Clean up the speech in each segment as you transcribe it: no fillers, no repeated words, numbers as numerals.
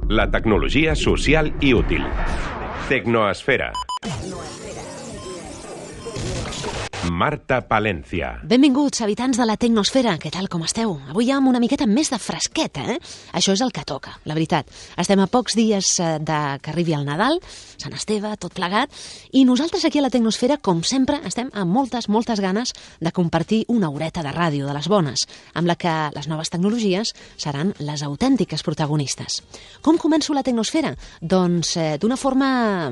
La tecnologia social i útil. Tecnoesfera. Marta Palencia. Benvinguts, habitants de la Tecnosfera. Què tal, com esteu? Avui amb una miqueta més de fresqueta, Això és el que toca, la veritat. Estem a pocs dies que arribi el Nadal, Sant Esteve, tot plegat, i nosaltres aquí a la Tecnosfera, com sempre, estem amb moltes ganes de compartir una horeta de ràdio de les bones, amb la que les noves tecnologies seran les autèntiques protagonistes. Com començo la Tecnosfera? Doncs d'una forma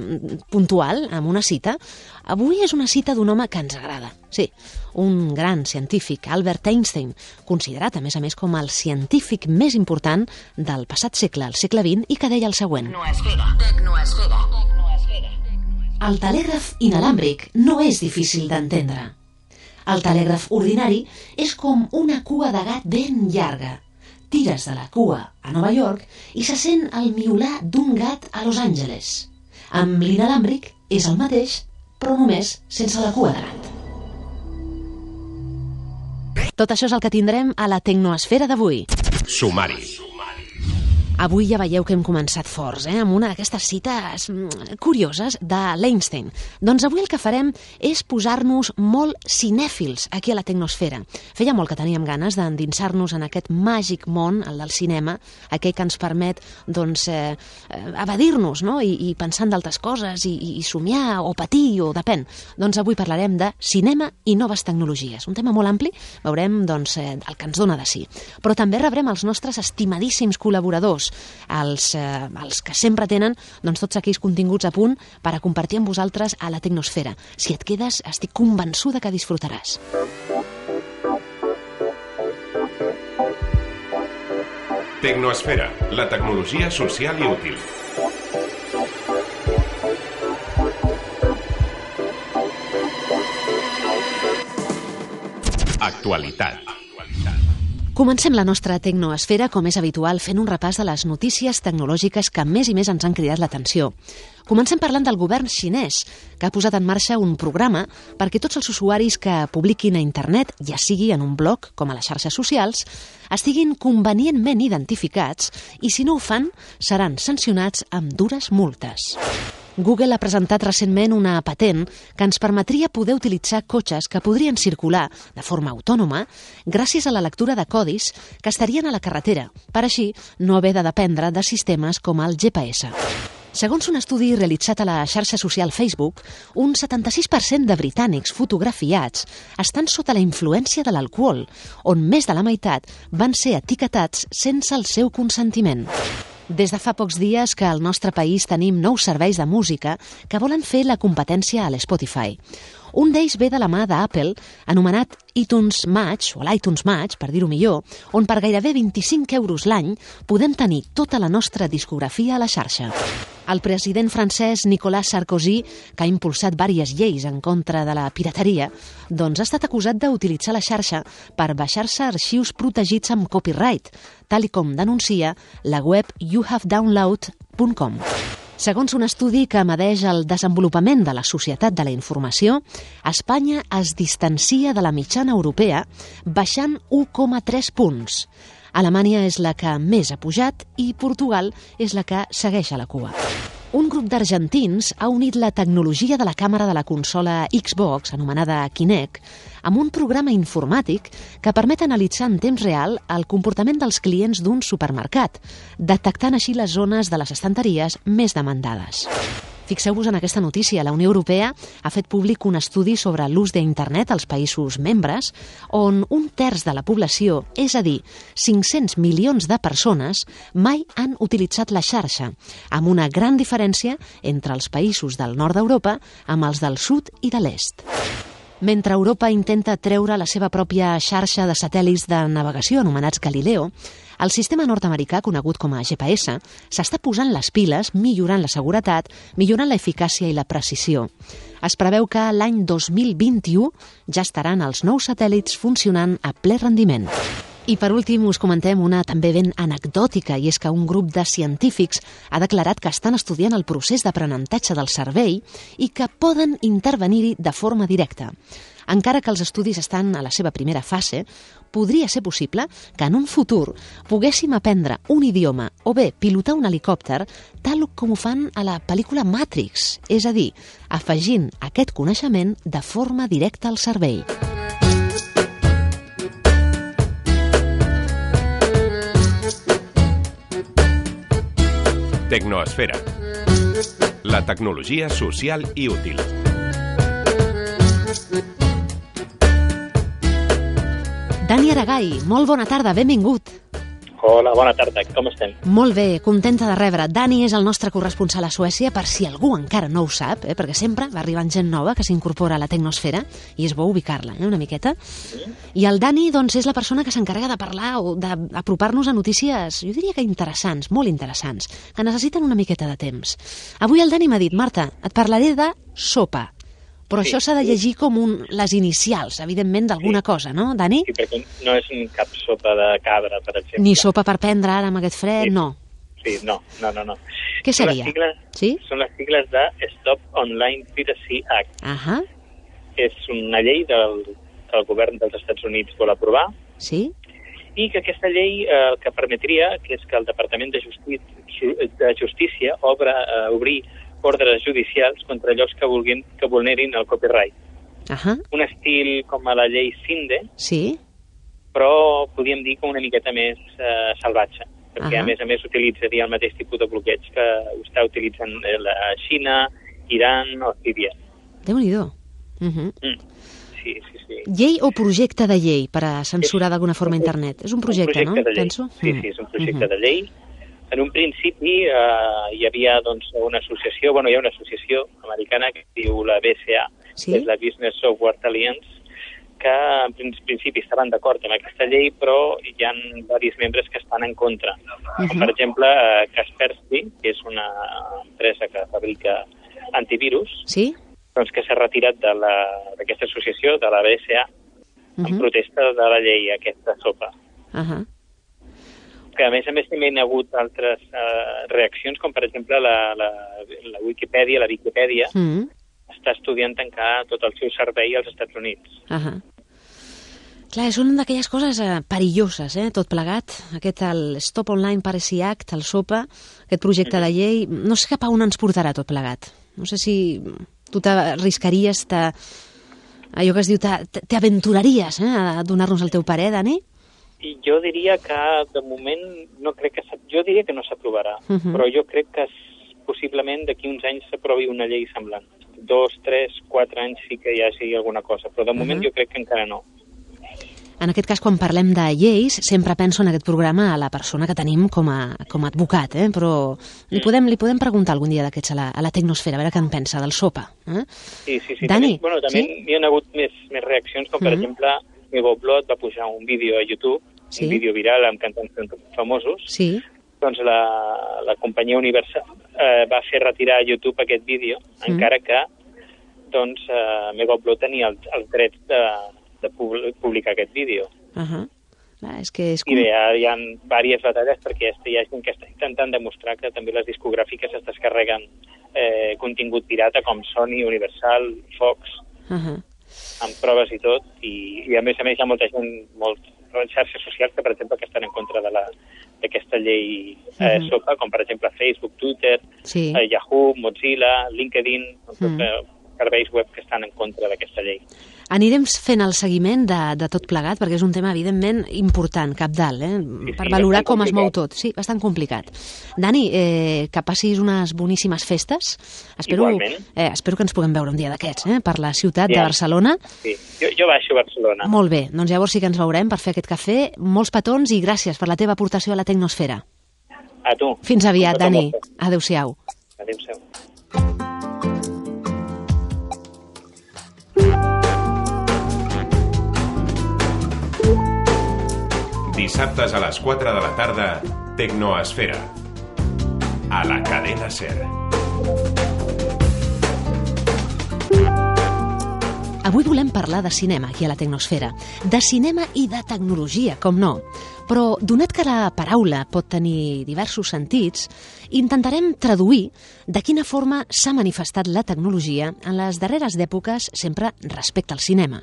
puntual, amb una cita. Avui és una cita d'un home que ens agrada. Sí, un gran científic, Albert Einstein, considerat a més com el científic més important del passat segle, el segle XX, i que deia el següent. Tecnoesfera. El telègraf inalàmbric no és difícil d'entendre. El telègraf ordinari és com una cua de gat ben llarga. Tires de la cua a Nova York i se sent el miular d'un gat a Los Angeles. Amb l'inalàmbric és el mateix, però només sense la cua de gat. Tot això és el que tindrem a la Tecnoesfera d'avui. Sumari. Avui ja veieu que hem començat forts, amb una d'aquestes cites curioses de l'Einstein. Doncs avui el que farem és posar-nos molt cinèfils aquí a la Tecnosfera. Feia molt que teníem ganes d'endinsar-nos en aquest màgic món, el del cinema, aquell que ens permet evadir-nos, no? I pensar en d'altres coses, i somiar, o patir, o depèn. Doncs avui parlarem de cinema i noves tecnologies. Un tema molt ampli, veurem el que ens dona de si. Però també rebrem els nostres estimadíssims col·laboradors, els que sempre tenen tots aquells continguts a punt per a compartir amb vosaltres a la Tecnosfera. Si et quedes, estic convençuda que disfrutaràs. Tecnoesfera, la tecnologia social i útil. Actualitat. Comencem la nostra Tecnoesfera, com és habitual, fent un repàs de les notícies tecnològiques que més i més ens han cridat l'atenció. Comencem parlant del govern xinès, que ha posat en marxa un programa perquè tots els usuaris que publiquin a internet, ja sigui en un blog com a les xarxes socials, estiguin convenientment identificats i, si no ho fan, seran sancionats amb dures multes. Google ha presentat recentment una patent que ens permetria poder utilitzar cotxes que podrien circular de forma autònoma gràcies a la lectura de codis que estarien a la carretera, per així no haver de dependre de sistemes com el GPS. Segons un estudi realitzat a la xarxa social Facebook, un 76% de britànics fotografiats estan sota la influència de l'alcohol, on més de la meitat van ser etiquetats sense el seu consentiment. Des de fa pocs dies que al nostre país tenim nous serveis de música que volen fer la competència a l'Spotify. Un d'ells ve de la mà d'Apple, anomenat iTunes Match, o l'iTunes Match, per dir-ho millor, on per gairebé 25 euros l'any podem tenir tota la nostra discografia a la xarxa. El president francès Nicolas Sarkozy, que ha impulsat diverses lleis en contra de la pirateria, ha estat acusat d'utilitzar la xarxa per baixar-se arxius protegits amb copyright, tal com denuncia la web youhavedownload.com. Segons un estudi que medeix el desenvolupament de la societat de la informació, Espanya es distancia de la mitjana europea baixant 1,3 punts. Alemanya és la que més ha pujat i Portugal és la que segueix a la cua. Un grup d'argentins ha unit la tecnologia de la càmera de la consola Xbox, anomenada Kinect, amb un programa informàtic que permet analitzar en temps real el comportament dels clients d'un supermercat, detectant així les zones de les estanteries més demandades. Fixeu-vos en aquesta notícia. La Unió Europea ha fet públic un estudi sobre l'ús d'internet als països membres, on 1/3 de la població, és a dir, 500 milions de persones, mai han utilitzat la xarxa, amb una gran diferència entre els països del nord d'Europa amb els del sud i de l'est. Mentre Europa intenta treure la seva pròpia xarxa de satèl·lits de navegació anomenats Galileo, el sistema nord-americà, conegut com a GPS, s'està posant les piles, millorant la seguretat, millorant l'eficàcia i la precisió. Es preveu que l'any 2021 ja estaran els nous satèl·lits funcionant a ple rendiment. I per últim us comentem una també ben anecdòtica, i és que un grup de científics ha declarat que estan estudiant el procés d'aprenentatge del cervell i que poden intervenir-hi de forma directa. encara que els estudis estan a la seva primera fase, podria ser possible que en un futur poguéssim aprendre un idioma o bé pilotar un helicòpter tal com ho fan a la pel·lícula Matrix, és a dir, afegint aquest coneixement de forma directa al cervell. Tecnoesfera. La tecnologia social i útil. Dani Aragai, molt bona tarda, benvingut. Hola, bona tarda, com estem? Molt bé, contenta de rebre. Dani és el nostre corresponsal a Suècia, per si algú encara no ho sap, perquè sempre va arribant gent nova que s'incorpora a la tecnosfera i és bo ubicar-la una miqueta. I el Dani doncs, és la persona que s'encarrega de parlar o d'apropar-nos a notícies, jo diria que interessants, molt interessants, que necessiten una miqueta de temps. Avui el Dani m'ha dit, Marta, et parlaré de sopa. Però això s'ha de llegir com les inicials, evidentment, d'alguna cosa, no, Dani? Sí, perquè no és cap sopa de cabra, per exemple. Ni sopa per prendre ara amb aquest fred, no. Sí, no. Què seria? Són les sigles de Stop Online Piracy Act. És una llei del govern dels Estats Units vol aprovar. Sí. I que aquesta llei el que permetria que és que el Departament de Justícia obrir ordres judicials contra llocs que vulnerin el copyright. Un estil com a la llei Cinde, sí, però podríem dir que una miqueta més salvatge, perquè a més utilitzaria el mateix tipus de bloqueig que està utilitzant la Xina, Iran o Síria. Déu-n'hi-do. Sí. Llei o projecte de llei per a censurar d'alguna forma internet? És un projecte, no? Penso. Sí, és un projecte de llei. En un principi hi havia una associació, hi ha una associació americana que es diu la BSA, que és la Business Software Alliance, que en principi estaven d'acord amb aquesta llei, però hi ha diversos membres que estan en contra. Per exemple, Kaspersky, que és una empresa que fabrica antivirus, que s'ha retirat d'aquesta associació, de la BSA, en protesta de la llei, aquesta sopa. Que a més també hi ha hagut altres reaccions, com per exemple la Wikipedia està estudiant tancar tot el seu servei als Estats Units. Clar, són d'aquelles coses perilloses, tot plegat. El Stop Online Piracy Act, el SOPA, aquest projecte de llei, no sé cap a on ens portarà tot plegat. No sé si tu t'arriscaries, allò que es diu, t'aventuraries a donar-nos el teu parer, Dani? I jo diria que, de moment, jo diria que no s'aprovarà, però jo crec que possiblement d'aquí uns anys s'aprovi una llei semblant. 2, 3, 4 anys sí que hi hagi alguna cosa, però de moment jo crec que encara no. En aquest cas, quan parlem de lleis, sempre penso en aquest programa a la persona que tenim com a advocat, però li podem preguntar algun dia d'aquests a la tecnosfera, a veure què en pensa del SOPA. Sí. Dani, també hi ha hagut més reaccions, com per exemple, Mego Blot va pujar un vídeo a YouTube, un vídeo viral amb cantants famosos. Doncs la companyia Universal va fer retirar a YouTube aquest vídeo, encara que Mego Blot tenia els drets de publicar aquest vídeo. I bé, hi ha diverses batalles perquè hi ha gent que està intentant demostrar que també les discogràfiques es descarreguen contingut pirata com Sony, Universal, Fox, amb proves i tot, i a més hi ha molta gent, xarxes socials que, per exemple, que estan en contra d'aquesta llei SOPA, com per exemple Facebook, Twitter, Yahoo, Mozilla, LinkedIn, serveis web que estan en contra d'aquesta llei. Anirem fent el seguiment de tot plegat, perquè és un tema, evidentment, important, cabdal, per valorar com es mou tot. Sí, bastant complicat. Dani, que passis unes boníssimes festes. Espero que ens puguem veure un dia d'aquests, per la ciutat de Barcelona. Sí, jo baixo a Barcelona. Molt bé, doncs llavors sí que ens veurem per fer aquest cafè. Molts petons i gràcies per la teva aportació a la tecnosfera. A tu. Fins aviat, Dani. Adéu-siau. Adéu-siau. Dissabtes a les 4 de la tarda, Tecnoesfera. A la cadena SER. Avui volem parlar de cinema aquí a la Tecnosfera, de cinema i de tecnologia, com no. Però, donat que la paraula pot tenir diversos sentits, intentarem traduir de quina forma s'ha manifestat la tecnologia en les darreres èpoques sempre respecte al cinema.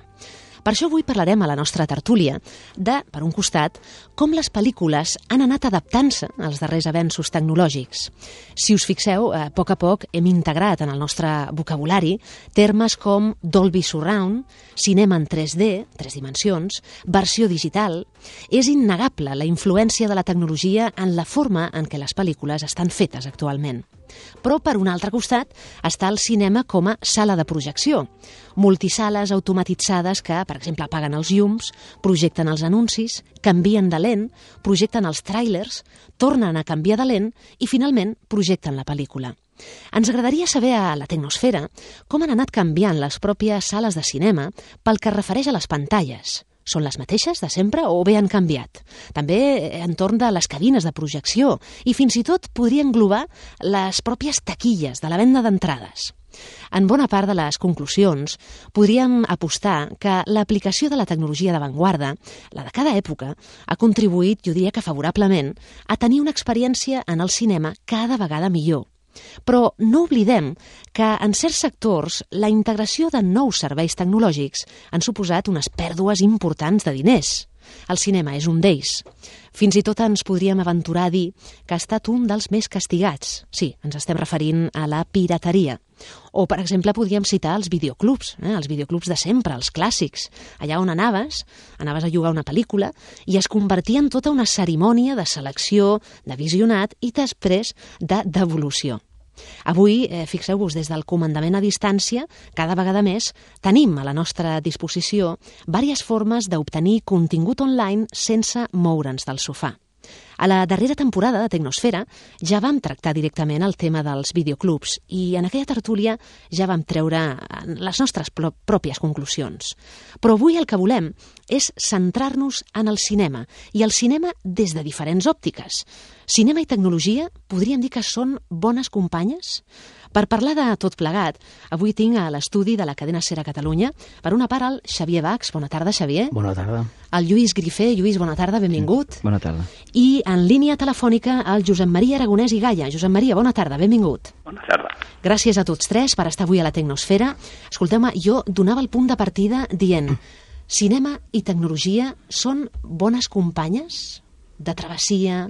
Per això avui parlarem a la nostra tertúlia de, per un costat, com les pel·lícules han anat adaptant-se als darrers avenços tecnològics. Si us fixeu, a poc hem integrat en el nostre vocabulari termes com Dolby Surround, cinema en 3D, 3 dimensions, versió digital. És innegable la influència de la tecnologia en la forma en què les pel·lícules estan fetes actualment. Però, per un altre costat, està el cinema com a sala de projecció. Multisales automatitzades que, per exemple, apaguen els llums, projecten els anuncis, canvien de lent, projecten els tràilers, tornen a canviar de lent i, finalment, projecten la pel·lícula. Ens agradaria saber a la Tecnosfera com han anat canviant les pròpies sales de cinema pel que es refereix a les pantalles. Són les mateixes de sempre o bé han canviat? També entorn de les cabines de projecció i fins i tot podria englobar les pròpies taquilles de la venda d'entrades. En bona part de les conclusions podríem apostar que l'aplicació de la tecnologia d'avantguarda, la de cada època, ha contribuït, jo diria que favorablement, a tenir una experiència en el cinema cada vegada millor. Però no oblidem que en certs sectors la integració de nous serveis tecnològics han suposat unes pèrdues importants de diners. El cinema és un d'ells. Fins i tot ens podríem aventurar a dir que ha estat un dels més castigats. Sí, ens estem referint a la pirateria. O, per exemple, podríem citar els videoclubs de sempre, els clàssics. Allà on anaves a llogar una pel·lícula i es convertia en tota una cerimònia de selecció, de visionat i després de devolució. Avui, fixeu-vos, des del comandament a distància, cada vegada més tenim a la nostra disposició diverses formes d'obtenir contingut online sense moure'ns del sofà. A la darrera temporada de Tecnosfera ja vam tractar directament el tema dels videoclubs i en aquella tertúlia ja vam treure les nostres pròpies conclusions. Però avui el que volem és centrar-nos en el cinema i el cinema des de diferents òptiques. Cinema i tecnologia podríem dir que són bones companyes? Per parlar de tot plegat, avui tinc a l'estudi de la cadena SER a Catalunya, per una part, el Xavier Bax. Bona tarda, Xavier. Bona tarda. El Lluís Grifé. Lluís, bona tarda, benvingut. Bona tarda. I en línia telefònica el Josep Maria Aragonès i Gaia. Josep Maria, bona tarda, benvingut. Bona tarda. Gràcies a tots tres per estar avui a la Tecnosfera. Escolteu-me, jo donava el punt de partida dient cinema i tecnologia són bones companyes de travessia,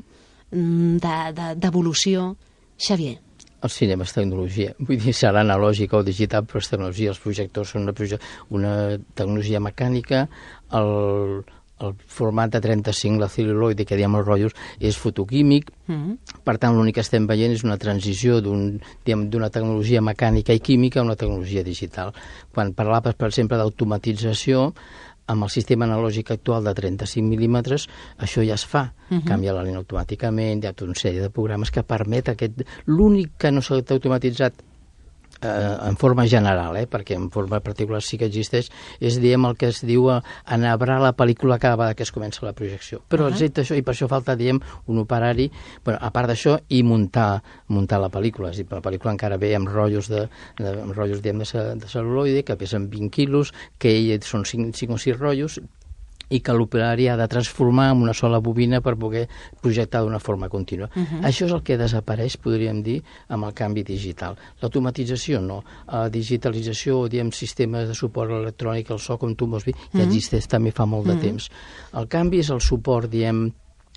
d'evolució. Xavier. El cinema és tecnologia. Vull dir, serà analògica o digital, però és tecnologia. Els projectors són una tecnologia mecànica. El format de 35, la cel·luloide, que diem els rotllos, és fotoquímic. Per tant, l'únic que estem veient és una transició d'una tecnologia mecànica i química a una tecnologia digital. Quan parlaves, per exemple, d'automatització, amb el sistema analògic actual de 35 mil·límetres, això ja es fa. Canvia la línia automàticament, hi ha tota una sèrie de programes que permet aquest... L'únic que no s'ha automatitzat en forma general, perquè en forma particular sí que existeix, és, diguem, el que es diu enhebrar la pel·lícula cada vegada que es comença la projecció. Però excepte això, i per això falta, diguem, un operari, a part d'això, i muntar la pel·lícula. És a dir, la pel·lícula encara ve amb rotllos de cel·luloide, que pesen 20 quilos, que són 5 o 6 rotllos, i que l'operari ha de transformar en una sola bobina per poder projectar d'una forma contínua. Això és el que desapareix, podríem dir, amb el canvi digital. L'automatització no. La digitalització, diguem, sistemes de suport electrònic, el so, com tu vols dir, ja existeix també fa molt de temps. El canvi és el suport, diguem,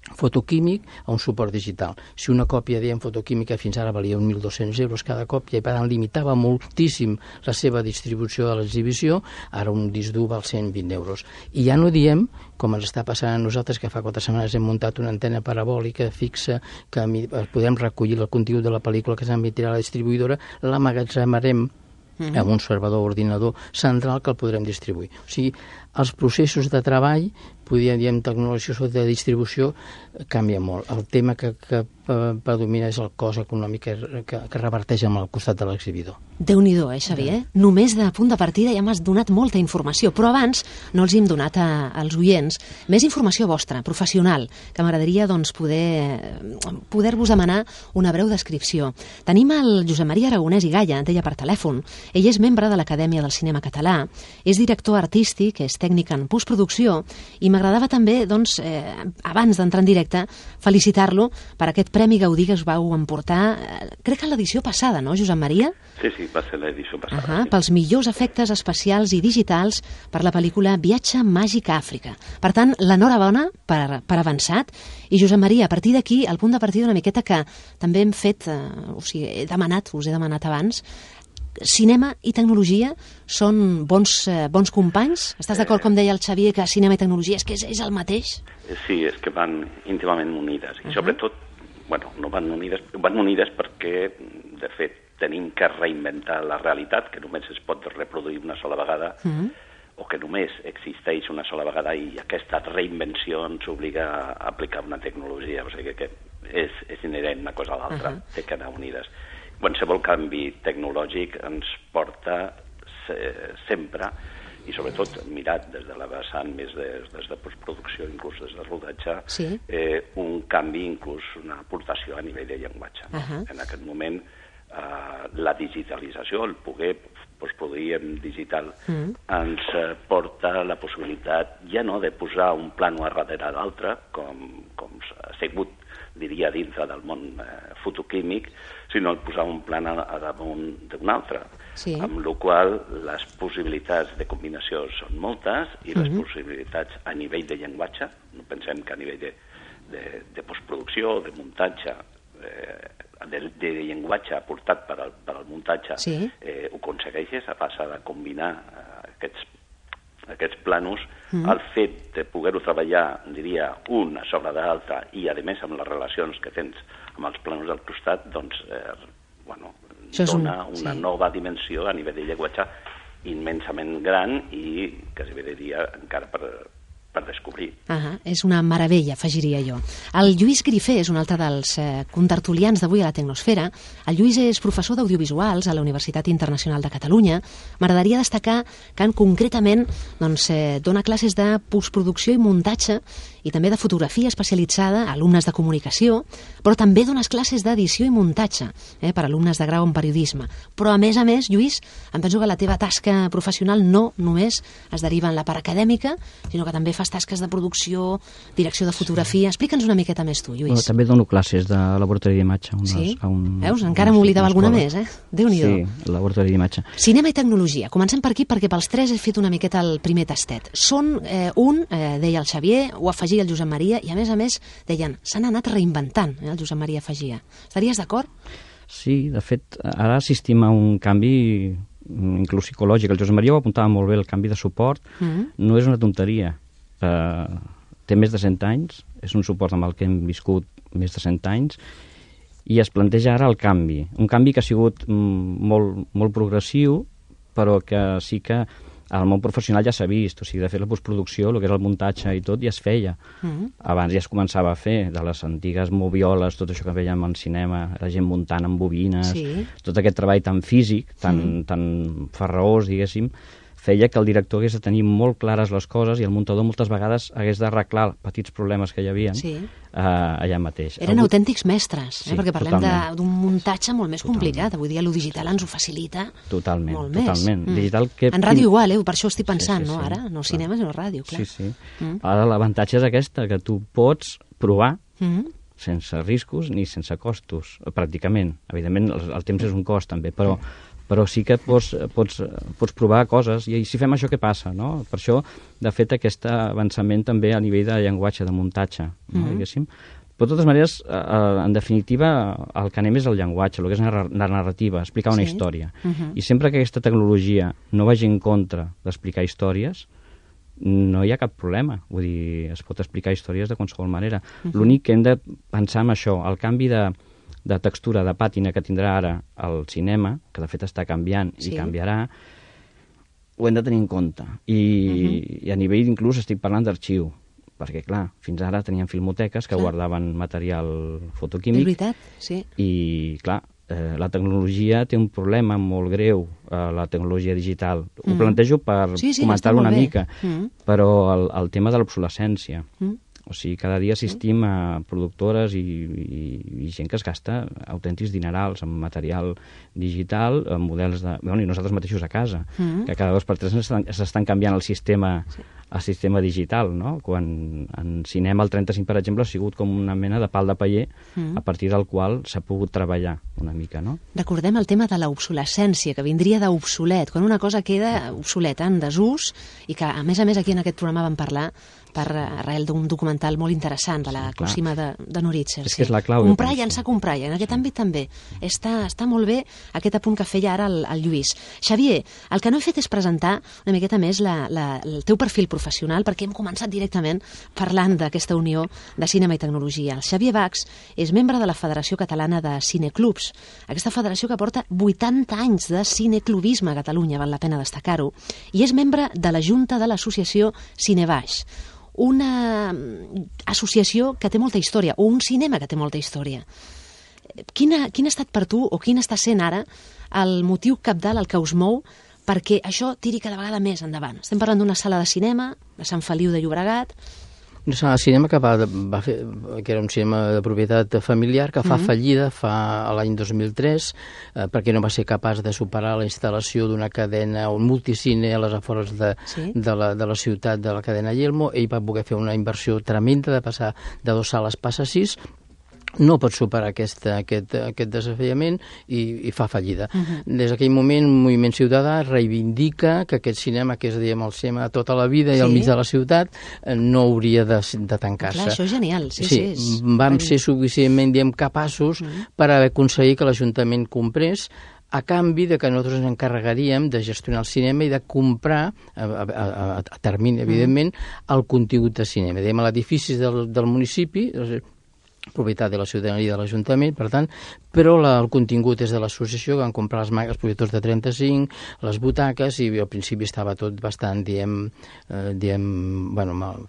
fotoquímic a un suport digital. Si una còpia, diguem, fotoquímica fins ara valia 1.200 euros cada còpia i per tant limitava moltíssim la seva distribució de l'exhibició, ara un disc dur val 120 euros. I ja no diem, com ens està passant a nosaltres, que fa 4 setmanes hem muntat una antena parabòlica fixa que podem recollir el contingut de la pel·lícula que s'emitirà a la distribuïdora, l'emmagatzemarem amb un servidor ordinador central que el podrem distribuir. O sigui, els processos de treball diem, tecnologia de distribució, canvia molt. El tema que predomina és el cost econòmic que reverteix amb el costat de l'exhibidor. Déu-n'hi-do, Xavier? Només de punt de partida ja m'has donat molta informació, però abans no els hem donat als oients més informació vostra, professional, que m'agradaria poder-vos demanar una breu descripció. Tenim el Josep Maria Aragonès i Galla, deia per telèfon. Ell és membre de l'Acadèmia del Cinema Català, és director artístic, és tècnic en postproducció, i m'agradava també, doncs, abans d'entrar en directe, felicitar-lo per aquest Premi Gaudí que us vau emportar, crec que l'edició passada, no, Josep Maria? Sí, va ser l'edició passada. Sí. Pels millors efectes especials i digitals per la pel·lícula Viatge màgic a Àfrica. Per tant, l'enhorabona per avançat. I Josep Maria, a partir d'aquí, el punt de partida una miqueta que també hem fet, us he demanat abans, cinema i tecnologia són bons companys? Estàs d'acord, com deia el Xavier, que cinema i tecnologia és que és el mateix? Sí, és que van íntimament unides. I sobretot, no van unides perquè, de fet, tenim que reinventar la realitat, que només es pot reproduir una sola vegada, o que només existeix una sola vegada, i aquesta reinvenció ens obliga a aplicar una tecnologia. O sigui que és inherent una cosa a l'altra, té que anar unides. Qualsevol canvi tecnològic ens porta sempre, i sobretot mirat des de la vessant més des de postproducció, inclús des de rodatge, un canvi, inclús una aportació a nivell de llenguatge. En aquest moment, la digitalització, el poder postproduir en digital, ens porta la possibilitat ja no de posar un plano a darrere d'altre, com s'ha sigut, diria, dintre del món fotoquímic, sinó posar un plan a damunt d'un altre, amb la qual les possibilitats de combinació són moltes i les possibilitats a nivell de llenguatge, no pensem que a nivell de postproducció, de muntatge, de llenguatge aportat per al muntatge, ho aconsegueixes a base de combinar aquests planos, el fet de poder-ho treballar, diria, una sobre l'altra, i a més amb les relacions que tens amb els planos del costat, doncs, dona una nova dimensió a nivell de llenguatge immensament gran i quasi bé diria encara per descobrir. És una meravella, afegiria jo. El Lluís Grifé és un altre dels contertulians d'avui a la Tecnosfera. El Lluís és professor d'audiovisuals a la Universitat Internacional de Catalunya. M'agradaria destacar que concretament dona classes de postproducció i muntatge i també de fotografia especialitzada a alumnes de comunicació, però també dones classes d'edició i muntatge per alumnes de grau en periodisme. Però a més, Lluís, em penso que la teva tasca professional no només es deriva en la part acadèmica, sinó que també fas tasques de producció, direcció de fotografia. Explica'ns una miqueta més tu, Lluís. També dono classes de laboratori d'imatge. Veus? Encara m'oblidava alguna més, Déu-n'hi-do. Sí, laboratori d'imatge. Cinema i tecnologia. Comencem per aquí perquè pels tres he fet una miqueta el primer tastet. Són deia el Xavier, ho afegia el Josep Maria, i a més, deien, s'han anat reinventant, el Josep Maria afegia. Estaries d'acord? Sí, de fet, ara assistim a un canvi inclús psicològic. El Josep Maria ho apuntava molt bé, el canvi de suport no és una tonteria. Té més de 100 anys, és un suport amb el que hem viscut més de 100 anys, i es planteja ara el canvi. Un canvi que ha sigut molt progressiu, però que sí que al món professional ja s'ha vist. O sigui, de fet, la postproducció, el que era el muntatge i tot, ja es feia. Abans ja es començava a fer, de les antigues movioles, tot això que veiem en cinema, la gent muntant amb bobines, tot aquest treball tan físic, tan farraós, diguéssim, feia que el director hagués de tenir molt clares les coses i el muntador moltes vegades hagués d'arreglar petits problemes que hi havia allà mateix. Eren autèntics mestres, perquè parlem d'un muntatge molt més complicat. Avui dia el digital ens ho facilita molt més. En ràdio igual, per això estic pensant, no ara? No cinema, sinó ràdio, clar. Sí. Ara l'avantatge és aquesta, que tu pots provar sense riscos ni sense costos, pràcticament. Evidentment, el temps és un cost, també, però sí que pots provar coses, i si fem això, què passa, no? Per això, de fet, aquest avançament també a nivell de llenguatge, de muntatge, diguéssim. Però, de totes maneres, en definitiva, el que anem és el llenguatge, el que és la narrativa, explicar una història. I sempre que aquesta tecnologia no vagi en contra d'explicar històries, no hi ha cap problema. Vull dir, es pot explicar històries de qualsevol manera. L'únic que hem de pensar en això, el canvi de textura, de pàtina que tindrà ara el cinema, que de fet està canviant i canviarà, ho hem de tenir en compte. I a nivell inclús estic parlant d'arxiu. perquè, clar, fins ara tenien filmoteques que guardaven material fotoquímic. És veritat, sí. I, clar, la tecnologia té un problema molt greu, la tecnologia digital. Ho plantejo per comentar-ho una mica, però el tema de l'obsolescència. O sigui, cada dia assistim a productores i gent que es gasta autèntics dinerals en material digital, en models de... Bueno, i nosaltres mateixos a casa, que cada 2 per 3 s'estan canviant el sistema digital, no? Quan en cinema el 35, per exemple, ha sigut com una mena de pal de paller a partir del qual s'ha pogut treballar una mica, no? Recordem el tema de l'obsolescència, que vindria d'obsolet, quan una cosa queda obsoleta, en desús, i que, a més, aquí en aquest programa vam parlar per arrel d'un documental molt interessant de la Cosima de Noritzer. És que és la clau. Comprar i llançar, comprar, i en aquest àmbit també. Està molt bé aquest apunt que feia ara el Lluís. Xavier, el que no he fet és presentar una miqueta més el teu perfil professional, perquè hem començat directament parlant d'aquesta unió de cinema i tecnologia. El Xavier Bachs és membre de la Federació Catalana de Cineclubs, aquesta federació que porta 80 anys de cineclubisme a Catalunya, val la pena destacar-ho, i és membre de la Junta de l'Associació Cinebaix, una associació que té molta història, o un cinema que té molta història. Quin ha estat per tu, o quin està sent ara, el motiu cabdal, el que us mou, perquè això tiri cada vegada més endavant? Estem parlant d'una sala de cinema, de Sant Feliu de Llobregat. Una sala de cinema que que era un cinema de propietat familiar, que fa fallida l'any 2003, perquè no va ser capaç de superar la instal·lació d'una cadena, un multicine a les afores de la ciutat, de la cadena Yelmo. Ell va poder fer una inversió tremenda de passar de 2 sales passa a 6, no pot superar aquest desafiament i fa fallida. Des d'aquell moment, un moviment ciutadà reivindica que aquest cinema, que és, diguem, el cinema tota la vida i al mig de la ciutat, no hauria de tancar-se. Clar, això és genial. Vam ser suficientment, diguem, capaços per haver aconseguit que l'Ajuntament comprés, a canvi de que nosaltres ens encarregaríem de gestionar el cinema i de comprar, a termini, evidentment, el contingut de cinema. Diguem, l'edifici del municipi, propietat de la ciutadania i de l'Ajuntament, per tant, però el contingut és de l'associació, que van comprar els projectors de 35, les butaques, i al principi estava tot bastant,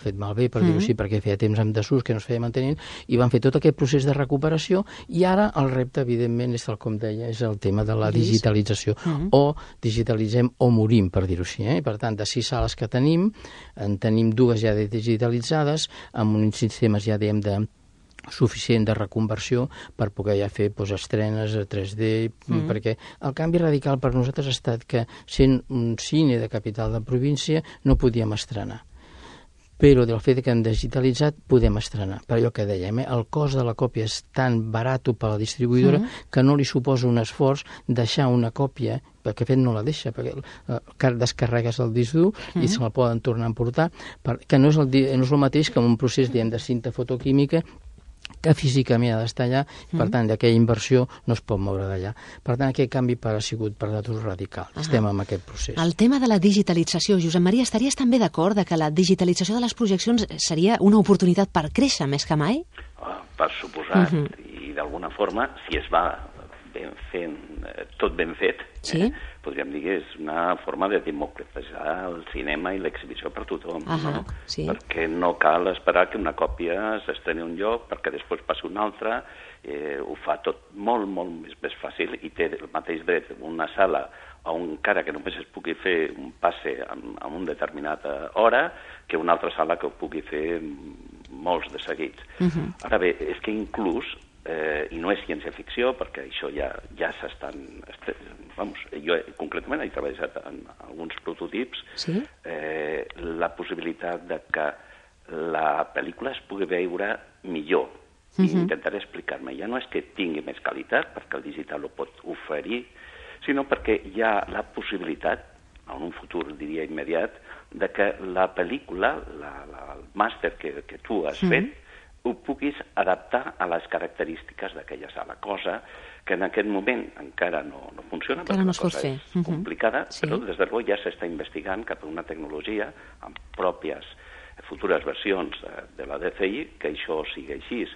fet malbé, per dir-ho així, perquè feia temps amb desús que no es feia mantenint, i van fer tot aquest procés de recuperació, i ara el repte, evidentment, és, tal com deia, és el tema de la digitalització. O digitalitzem o morim, per dir-ho així. Per tant, de 6 sales que tenim, en tenim 2 ja digitalitzades, amb uns sistemes ja, diguem, suficient de reconversió per poder ja fer estrenes a 3D, perquè el canvi radical per nosaltres ha estat que, sent un cine de capital de província, no podíem estrenar. Però del fet que hem digitalitzat podem estrenar. Per allò que dèiem, el cost de la còpia és tan barat per la distribuïdora que no li suposa un esforç deixar una còpia, perquè de fet no la deixa, perquè descarregues el disc dur i se la poden tornar a emportar, que no és el mateix que un procés de cinta fotoquímica que físicament ha d'estar allà, per tant, aquella inversió no es pot moure d'allà. Per tant, aquest canvi ha sigut per nosaltres radical. Estem en aquest procés. El tema de la digitalització, Josep Maria, estaries també d'acord que la digitalització de les projeccions seria una oportunitat per créixer més que mai? Per suposat, i d'alguna forma, si es va tot ben fet, podríem dir que és una forma de democratitzar el cinema i l'exhibició per tothom, no? Perquè no cal esperar que una còpia s'estreni a un lloc perquè després passi una altra, ho fa tot molt, molt més fàcil i té el mateix dret una sala encara que només es pugui fer un passe a una determinada hora que una altra sala que ho pugui fer molts de seguits. Ara bé, és que inclús i no és ciència-ficció, perquè això ja s'estan... jo concretament he treballat en alguns prototips, la possibilitat de que la pel·lícula es pugui veure millor. I intentaré explicar-me. Ja no és que tingui més qualitat, perquè el digital ho pot oferir, sinó perquè hi ha la possibilitat, en un futur, diria, immediat, de que la pel·lícula, el màster que tu has fet, ho puguis adaptar a les característiques d'aquella sala, cosa que en aquest moment encara no funciona, perquè la cosa és complicada, però des de llavors ja s'està investigant cap a una tecnologia amb pròpies futures versions de la DCI que això sigui així,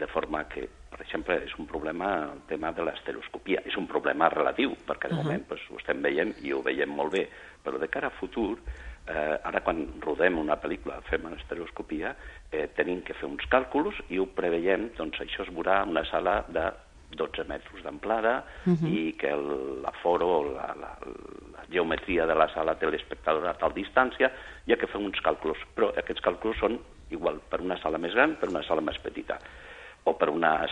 de forma que, per exemple, és un problema el tema de l'estereoscopia. És un problema relatiu, perquè de moment ho estem veient i ho veiem molt bé, però de cara a futur ara quan rodem una pel·lícula, fem una estereoscopia, tenim que fer uns càlculs i ho preveiem, doncs això es veurà en una sala de 12 metres d'amplada i que l'aforo, la geometria de la sala té l'espectador a tal distància, hi ha que fer uns càlculs, però aquests càlculs són igual per una sala més gran, per una sala més petita, o per una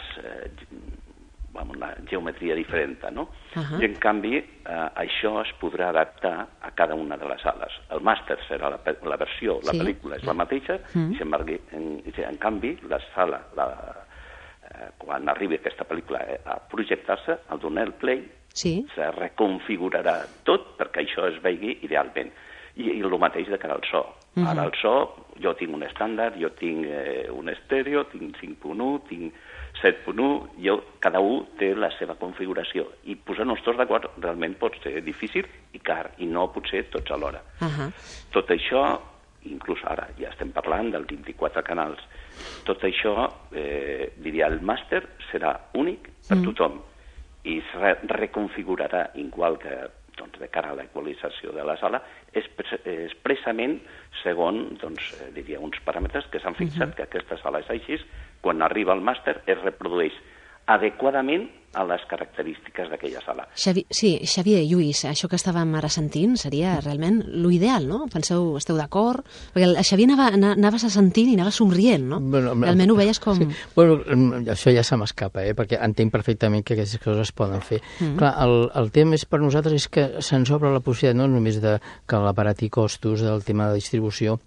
geometria diferent, no? I en canvi, això es podrà adaptar a cada una de les sales. El màster serà la versió, la pel·lícula és la mateixa, i en canvi, la sala, quan arribi aquesta pel·lícula a projectar-se, al donar el play, se reconfigurarà tot perquè això es vegi idealment. I el mateix de cara al so. Ara el so, jo tinc un estàndard, jo tinc un estèreo, tinc 5.1, tinc 7.1, cada un té la seva configuració. I posar-nos tots d'acord realment pot ser difícil i car, i no potser tots alhora. Tot això, inclús ara ja estem parlant dels 24 canals, tot això, diria, el màster serà únic per tothom i es reconfigurarà igual que de cara a l'equalització de la sala, expressament segons, diria, uns paràmetres que s'han fixat que aquesta sala és així, quan arriba al màster es reprodueix adequadament a les característiques d'aquella sala. Xavier, Lluís, això que estàvem ara sentint seria realment l'ideal, no? Penseu, esteu d'acord? Perquè el Xavier anaves sentint i anaves somrient, no? Realment ho veies com... Això ja se m'escapa, perquè entenc perfectament que aquestes coses es poden fer. Clar, el tema per nosaltres és que se'ns obre la possibilitat no només que l'aparat i costos del tema de distribució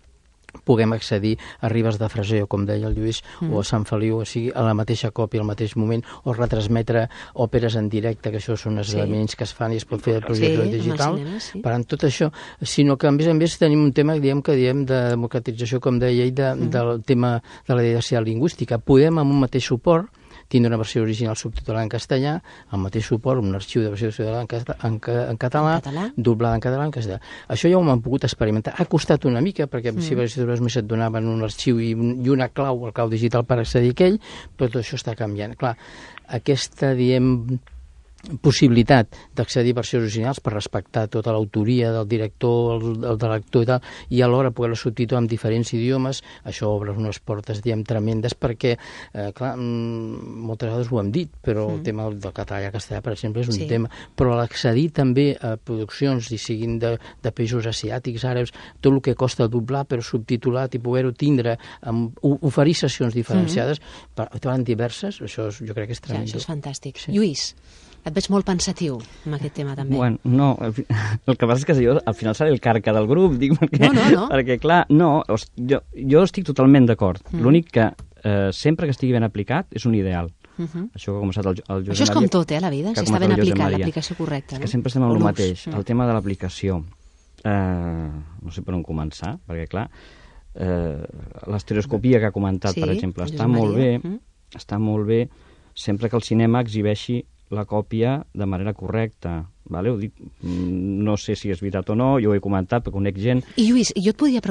puguem accedir a Ribes de Freser, com deia el Lluís, o a Sant Feliu, o sigui, a la mateixa còpia, al mateix moment, o retransmetre òperes en directe, que això són esdeveniments que es fan i es pot fer de projecció digital. Per tant, tot això, sinó que a més tenim un tema que diem de democratització, com deia ell, del tema de la diversidad lingüística. Podem, amb un mateix suport, tindre una versió original subtitulada en castellà, el mateix suport, un arxiu de versió en català, doblada en català, en castellà. Això ja ho hem pogut experimentar. Ha costat una mica, perquè si més et donaven un arxiu i una clau, el clau digital per accedir a aquell, però tot això està canviant. Clar, aquesta, diem, possibilitat d'accedir a versions originals per respectar tota l'autoria del director, el de l'actor i tal, i alhora poder-la subtitular en diferents idiomes, això obre unes portes, diguem, tremendes, perquè, clar, moltes vegades ho hem dit, però el tema del català i el castellà, per exemple, és un tema, però l'accedir també a produccions, i siguin de països asiàtics, àrabs, tot el que costa doblar, però subtitulat i poder-ho tindre, oferir sessions diferenciades, diverses, això jo crec que és tremendo. Això és fantàstic. Lluís, et veig molt pensatiu amb aquest tema, també. Bueno, no, el que passa és que jo al final seré el carca del grup, dic, perquè clar, jo estic totalment d'acord. L'únic que sempre que estigui ben aplicat és un ideal. Això que ha començat el Josep Maria. Això és com tot, a la vida, si està ben aplicat, l'aplicació correcta. És que sempre estem amb el mateix, el tema de l'aplicació. No sé per on començar, perquè clar, l'estereoscopia que ha comentat, per exemple, està molt bé sempre que el cinema exhibeixi la còpia de manera correcta. Vale? Ho dic, no sé si és veritat o no, jo ho he comentat, perquè conec gent... I Lluís, jo et podria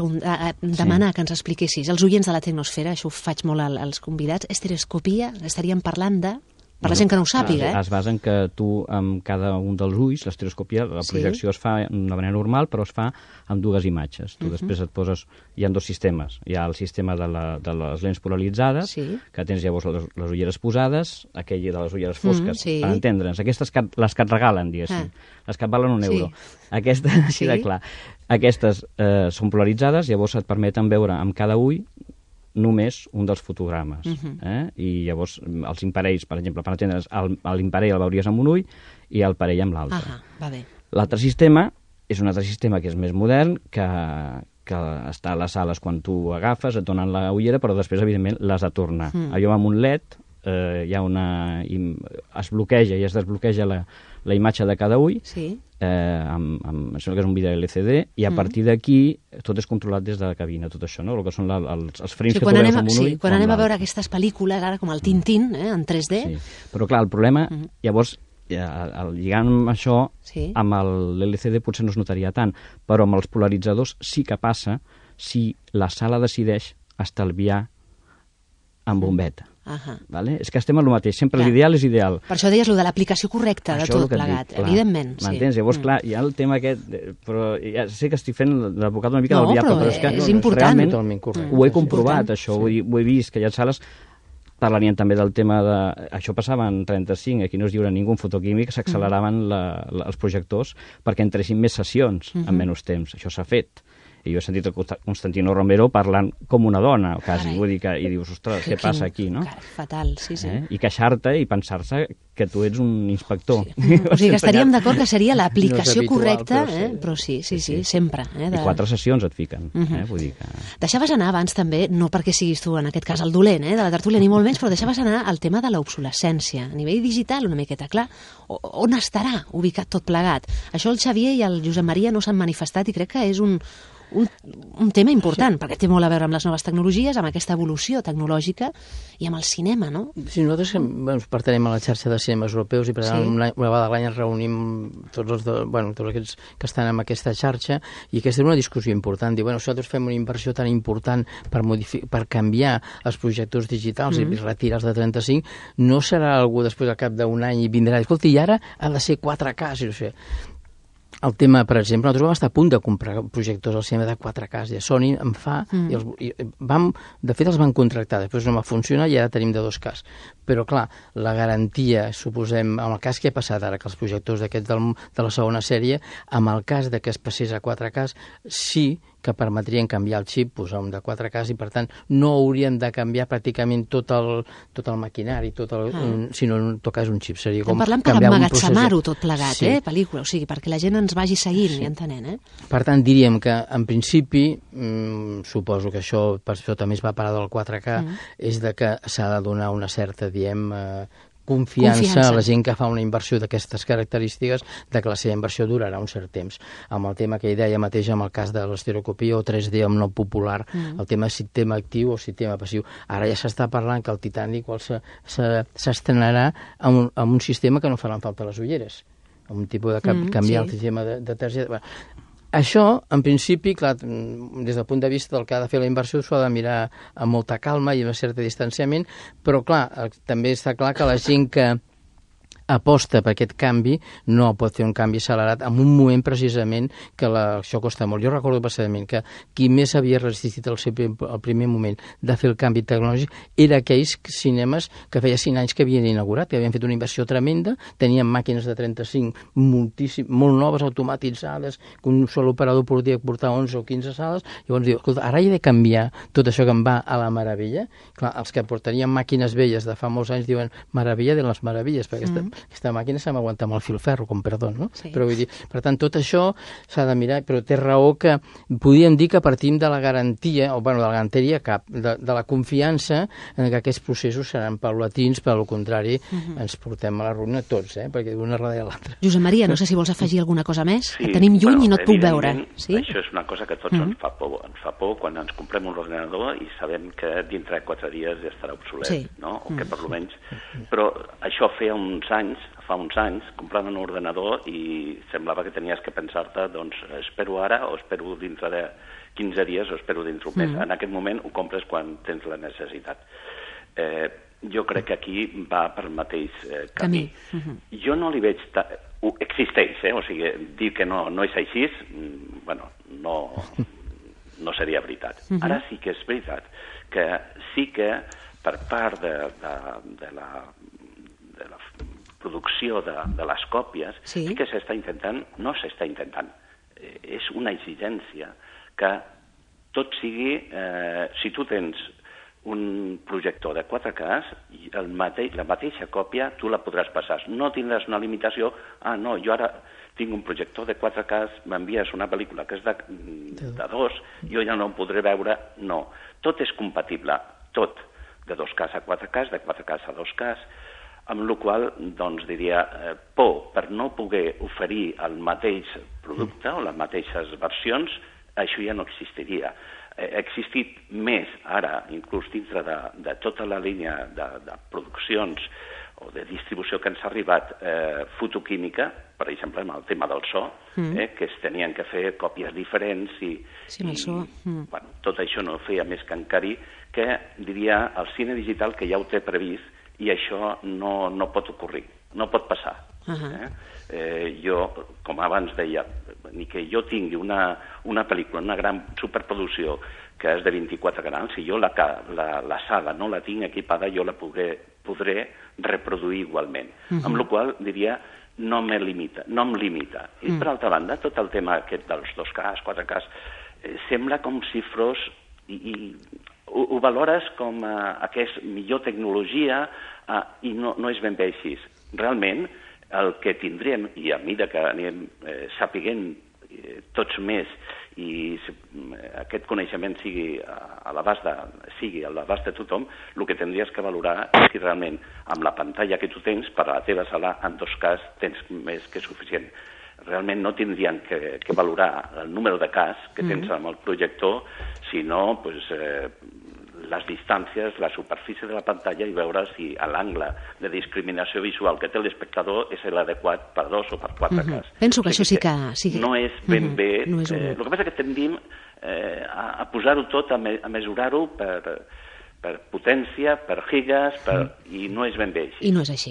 demanar que ens expliquessis, els oients de la Tecnosfera, això ho faig molt als convidats, estereoscopia, estaríem parlant de... Per la gent que no ho sàpiga, Es basa en que tu, amb cada un dels ulls, l'estereoscopia, la projecció es fa d'una manera normal, però es fa amb dues imatges. Tu després et poses... Hi ha dos sistemes. Hi ha el sistema de les lents polaritzades, que tens llavors les ulleres posades, aquell de les ulleres fosques, per entendre'ns. Aquestes les que et regalen, diguéssim. Les que et valen €1. Aquestes, així de clar. Aquestes són polaritzades, llavors et permeten veure amb cada ull només un dels fotogrames. I llavors els imparells, per exemple, per entendre's, l'imparell el veuries amb un ull i el parell amb l'altre. L'altre sistema és un altre sistema que és més modern, que està a les sales quan tu agafes, et donen la ullera, però després, evidentment, l'has de tornar. Allò amb un LED es bloqueja i es desbloqueja la imatge de cada ull, això que és un vídeo LCD, i a partir d'aquí tot és controlat des de la cabina, tot això, no? El que són els frames que tu veus amb un ull. Quan anem a veure aquestes pel·lícules, ara com el Tintín, en 3D... Però clar, el problema, llavors, lligant amb això, amb l'LCD potser no es notaria tant, però amb els polaritzadors sí que passa si la sala decideix estalviar amb bombeta. Vale? És que estem en el mateix, sempre l'ideal és ideal. Per això deies, de l'aplicació correcta de tot plegat, evidentment. M'entens? Llavors, clar, hi ha el tema aquest, però ja sé que estic fent l'advocat una mica del diable, però és que és important. Ho he comprovat, això, ho he vist, que hi ha sales parlarien també del tema de... Això passava en 35, aquí no es lliura ningú fotoquímic, s'acceleraven els projectors perquè entressin més sessions en menys temps. Això s'ha fet. I jo he sentit Constantino Romero parlant com una dona, quasi, vull dir que... I dius, ostres, què passa aquí, no? Fatal, sí. I queixar-te i pensar-se que tu ets un inspector. O sigui que estaríem d'acord que seria l'aplicació correcta, però sí, sempre. I 4 sessions et fiquen, vull dir que... Deixaves anar abans també, no perquè siguis tu en aquest cas el dolent de la tertúlia ni molt menys, però deixaves anar el tema de l'obsolescència. A nivell digital, una miqueta clar, on estarà ubicat tot plegat? Això el Xavier i el Josep Maria no s'han manifestat i crec que és un tema important, perquè té molt a veure amb les noves tecnologies, amb aquesta evolució tecnològica i amb el cinema, no? Sí, nosaltres pertenem a la xarxa de cinemes europeus i per tant una vegada a l'any ens reunim tots aquests que estan en aquesta xarxa i aquesta és una discussió important. Diu, nosaltres fem una inversió tan important per canviar els projectors digitals i retirar-los de 35, no serà algú després al cap d'un any i vindrà, escolta, i ara ha de ser 4K, si no sé. El tema, per exemple, nosaltres vam estar a punt de comprar projectors al cinema de 4K, i Sony en fa, de fet els van contractar, després no va funcionar i ara tenim de 2K. Però, clar, la garantia, suposem, en el cas que ha passat ara, que els projectors d'aquests de la segona sèrie, amb el cas de que es passés a 4K, sí que permetrien canviar el xip, posar un de 4K, i per tant no haurien de canviar pràcticament tot el maquinari, sinó en tot cas un xip. Seria com parlant per emmagatzemar-ho tot plegat, pel·lícula, o sigui, perquè la gent ens vagi seguint i entenent. Per tant, diríem que en principi, suposo que això, per això també es va parar del 4K, és de que s'ha de donar una certa, confiança a la gent que fa una inversió d'aquestes característiques, de que la seva inversió durarà un cert temps. Amb el tema que hi deia mateix, amb el cas de l'estereoscopia o 3D amb no popular, el tema de sistema actiu o sistema passiu. Ara ja s'està parlant que el Titanic s'estrenarà amb un sistema que no faran falta les ulleres, amb un tipus de canviar el sistema de targeta. Això, en principi, clar, des del punt de vista del que ha de fer la inversió, s'ho ha de mirar amb molta calma i amb un cert distanciament, però, clar, també està clar que la gent que aposta per aquest canvi no pot fer un canvi accelerat en un moment precisament que això costa molt. Jo recordo passadament que qui més havia resistit al primer moment de fer el canvi tecnològic era aquells cinemes que feia 5 anys que havien inaugurat, que havien fet una inversió tremenda, tenien màquines de 35 molt noves, automatitzades, que un sol operador podia portar 11 o 15 sales, i llavors diu, escolta, ara he de canviar tot això que em va a la meravella. Clar, els que portarien màquines velles de fa molts anys diuen meravella de les meravilles, perquè aquesta màquina s'ha d'aguantar amb el filferro, com perdó, no? Sí. Però vull dir, per tant, tot això s'ha de mirar, però té raó que podríem dir que partim de la garantia, o bueno, de la garantia de la confiança en que aquests processos seran paulatins, per al contrari, ens portem a la ruïna tots, perquè d'una darrere l'altra. Josep Maria, no sé si vols afegir alguna cosa més, que tenim lluny i no et puc veure. Sí? Això és una cosa que a tots ens fa por. Ens fa por quan ens comprem un ordenador i sabem que dintre de 4 dies ja estarà obsolet, no? O que per almenys... Però això fa uns anys, compraven un ordenador i semblava que tenies que pensar-te, doncs, espero ara o espero dintre de 15 dies o espero dintre un mes. En aquest moment ho compres quan tens la necessitat. Jo crec que aquí va per el mateix camí. Jo no li veig... Existeix, o sigui, dir que no és així, bueno, no seria veritat. Ara sí que és veritat que sí que per part de la producció de les còpies, sí que s'està intentant, no s'està intentant, és una exigència que tot sigui, si tu tens un projector de 4K, la mateixa còpia tu la podràs passar. No tindràs una limitació, no, jo ara tinc un projector de 4K, m'envies una pel·lícula que és de 2, jo ja no ho podré veure, no. Tot és compatible, tot, de 2K a 4K, de 4K a 2K, amb la qual cosa, doncs, diria, per no poder oferir el mateix producte o les mateixes versions, això ja no existiria. Ha existit més ara, inclús dintre de tota la línia de produccions o de distribució que ens ha arribat fotoquímica, per exemple, amb el tema del so, que es tenien que fer còpies diferents i bueno, tot això no feia més que encarir que, diria, el cine digital que ja ho té previst i això no pot ocorrir, no pot passar. Jo, com abans deia, ni que jo tingui una pel·lícula, una gran superproducció que és de 24 canals, si jo la sala no la tinc equipada, jo la podré reproduir igualment. Amb la qual diria, no em limita. I per altra banda, tot el tema aquest dels 2K, 4K, sembla com si fos... Ho valores com que és millor tecnologia i no és ben bé així. Realment, el que tindríem, i a mesura que anem sapiguent tots més i aquest coneixement sigui a l'abast de tothom, el que tindries que valorar és si realment amb la pantalla que tu tens per a la teva sala, en 2K, tens més que suficient. Realment no tindrien que valorar el número de cas que tens amb el projector, sinó les distàncies, la superfície de la pantalla i veure si l'angle de discriminació visual que té l'espectador és l'adequat per 2 o per 4 cas. Penso que això sí que... No és ben bé... El que passa és que tendim a posar-ho tot, a mesurar-ho per potència, per gigas, i no és ben bé així. I no és així.